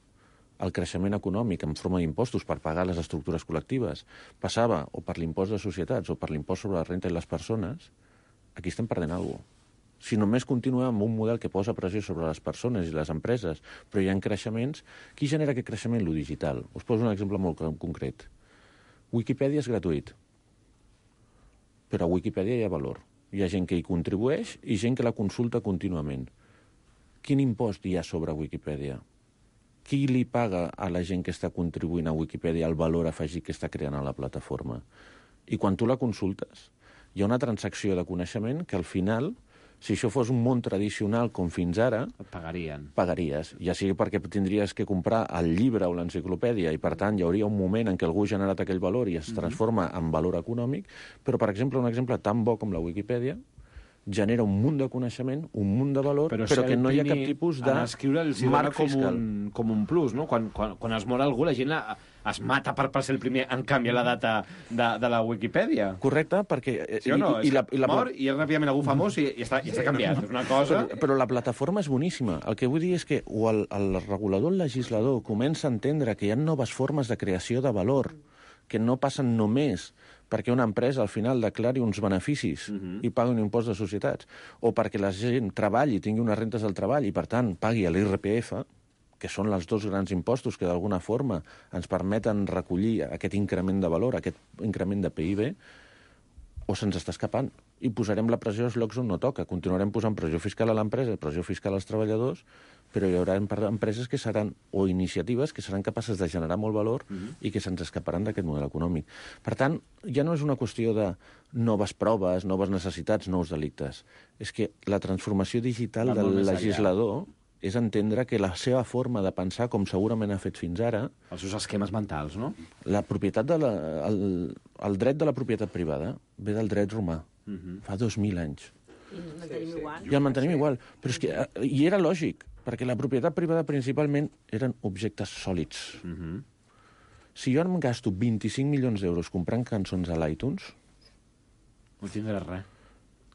el creixement econòmic en forma d'impostos per pagar les estructures col·lectives passava o per l'impost de societats o per l'impost sobre la renta i les persones, aquí estem perdent alguna cosa. Si només continuem amb un model que posa pressió sobre les persones i les empreses, però hi ha creixements, qui genera aquest creixement? Lo digital. Us poso un exemple molt concret. Wikipedia és gratuït, però a Wikipedia hi ha valor. Hi ha gent que hi contribueix i gent que la consulta contínuament. Quin impost hi ha sobre Wikipedia? Qui li paga a la gent que està contribuint a Wikipedia el valor afegit que està creant a la plataforma? I quan tu la consultes, hi ha una transacció de coneixement que al final, si això fos un món tradicional com fins ara... Et pagarien. Pagaries. Ja sigui perquè tindries que comprar el llibre o l'enciclopèdia i, per tant, hi hauria un moment en què algú ha generat aquell valor i es transforma en valor econòmic, però, per exemple, un exemple tan bo com la Wikipedia genera un munt de coneixement, un munt de valor, però que no hi ha cap tipus de marc fiscal. Com un plus, no? Quan es mor algú, la gent es mata per ser el primer en canviar la data de la Wikipedia. Correcte, perquè... Sí o no? Mor i ràpidament algú famós i està canviat. És una cosa... Però la plataforma és boníssima. El que vull dir és que o el regulador, el legislador, comença a entendre que hi ha noves formes de creació de valor, que no passen només perquè una empresa al final declari uns beneficis i pagui un impost de societats, o perquè la gent treballi, tingui unes rentes del treball i, per tant, pagui l'IRPF, que són els dos grans impostos que d'alguna forma ens permeten recollir aquest increment de valor, aquest increment de PIB, o se'ns està escapant. I posarem la pressió als llocs on no toca. Continuarem posant pressió fiscal a l'empresa, pressió fiscal als treballadors, però hi haurà empreses que seran, o iniciatives que seran capaces de generar molt valor i que se'ns escaparan d'aquest model econòmic. Per tant, ja no és una qüestió de noves proves, noves necessitats, nous delictes. És que la transformació digital del legislador és entendre que la seva forma de pensar, com segurament ha fet fins ara... Els seus esquemes mentals, no? La propietat el dret de la propietat privada ve del dret romà, fa 2.000 anys. I el mantenim igual. I el mantenim igual. Però és que, i era lògic, perquè la propietat privada principalment eren objectes sòlids. Si jo em gasto 25 milions d'euros comprant cançons a l'iTunes... No tindràs res.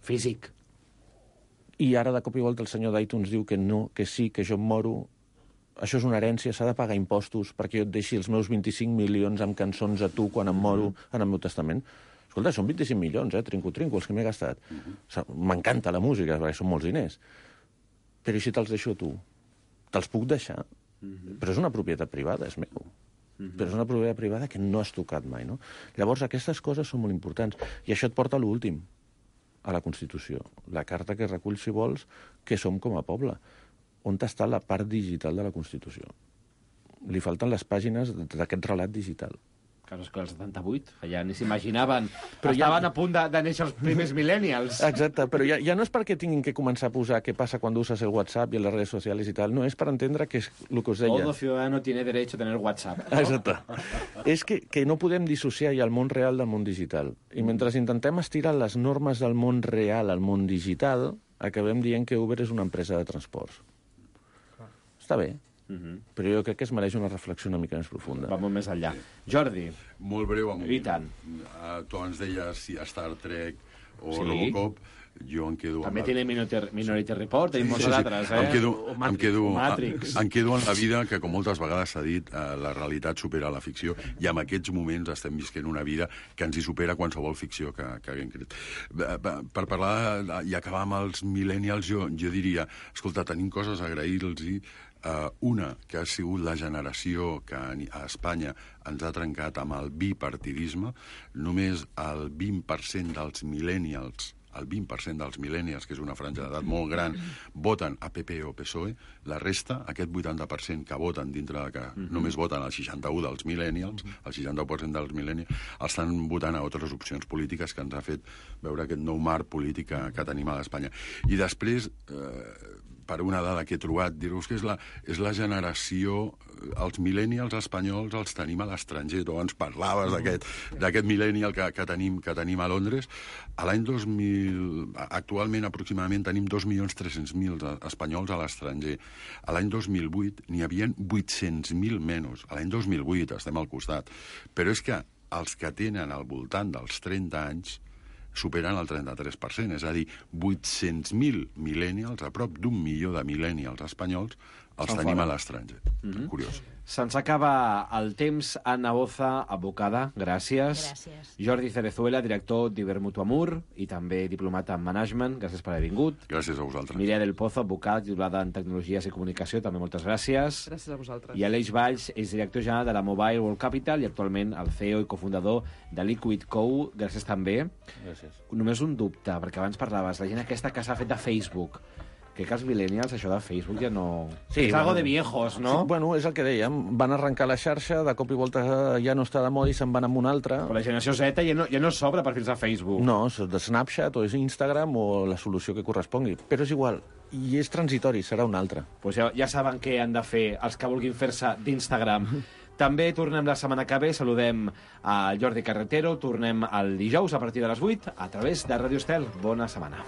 Físic. I ara, de cop i volta, el senyor d'iTunes diu que no, que sí, que jo em moro... Això és una herència, s'ha de pagar impostos perquè jo et deixi els meus 25 milions amb cançons a tu quan em moro en el meu testament. Escolta, són 25 milions, trinco, els que m'he gastat. M'encanta la música, perquè són molts diners. Però i si te'ls deixo a tu? Te'ls puc deixar? Però és una propietat privada, és meu. Però és una propietat privada que no has tocat mai, no? Llavors, aquestes coses són molt importants. I això et porta a l'últim, a la Constitució. La carta que recull, si vols, que som com a poble. On està la part digital de la Constitució? Li falten les pàgines d'aquest relat digital. Clar, és que el 78, ja ni s'imaginaven. Però estaven a punt de néixer els primers millennials. Exacte, però ja no és perquè tinguin que començar a posar què passa quan uses el WhatsApp i les redes socials i tal, no, és per entendre que és el que us deia. Todo ciudadano tiene derecho a tener WhatsApp. ¿no? Exacte. És que no podem dissociar ja el món real del món digital. I mentre intentem estirar les normes del món real al món digital, acabem dient que Uber és una empresa de transports. Està bé. Però jo crec que es mereix una reflexió una mica més profunda. Va molt més enllà. Jordi. Molt breu. I tant. Tu ens deies si Star Trek o Robocop, jo em quedo... També tiene Minority Report, tenim molts altres, Em quedo en la vida que, com moltes vegades s'ha dit, la realitat supera la ficció, i en aquests moments estem visquent una vida que ens hi supera qualsevol ficció que haguem creat. Per parlar i acabar amb els millennials, jo diria, escolta, tenim coses a agrair-los. Una, que ha sigut la generació que a Espanya ens ha trencat amb el bipartidisme. Només el 20% dels millennials, que és una franja d'edat molt gran, voten a PP o PSOE. La resta, aquest 80% que voten dintre de que només voten el 61% dels millennials, el 61% dels millennials, estan votant a altres opcions polítiques que ens ha fet veure aquest nou marc polític que tenim a l'Espanya. I després... per una dada que he trobat, dir-vos que és la generació, els millennials espanyols els tenim a l'estranger. Tu abans parlaves d'aquest millennial que tenim a Londres. A l'any 2000, actualment aproximadament tenim 2.300.000 espanyols a l'estranger. A l'any 2008 n'hi havia 800.000 menys. A l'any 2008 estem al costat. Però és que els que tenen al voltant dels 30 anys superen el 33%, és a dir, 800.000 millennials, a prop d'1 milió de millennials espanyols, els tenim a l'estranger. Curiós. Se'ns acaba el temps. Anna Boza, advocada, gràcies. Gràcies. Jordi Cerezuela, director d'Ibermutuamur i també diplomat en management. Gràcies per haver vingut. Gràcies a vosaltres. Mireia del Pozo, advocat, titulada en Tecnologies i Comunicació, també moltes gràcies. Gràcies a vosaltres. I Aleix Valls és director general de la Mobile World Capital i actualment el CEO i cofundador de Liquid Co. Gràcies també. Gràcies. Només un dubte, perquè abans parlaves, la gent aquesta que s'ha fet de Facebook. Crec que els millennials, això de Facebook ja no... Sí, és algo de viejos, no? Sí, bueno, és el que dèiem. Van arrencar la xarxa, de cop i volta ja no està de moda i se'n van amb una altra. Però la generació Z ja no s'obre perfils a Facebook. No, és de Snapchat o és Instagram o la solució que correspongui. Però és igual, i és transitori, serà una altra. Pues ja saben què han de fer els que vulguin fer-se d'Instagram. També tornem la setmana que ve, saludem al Jordi Carretero, tornem el dijous a partir de les 8 a través de Radio Estel. Bona setmana.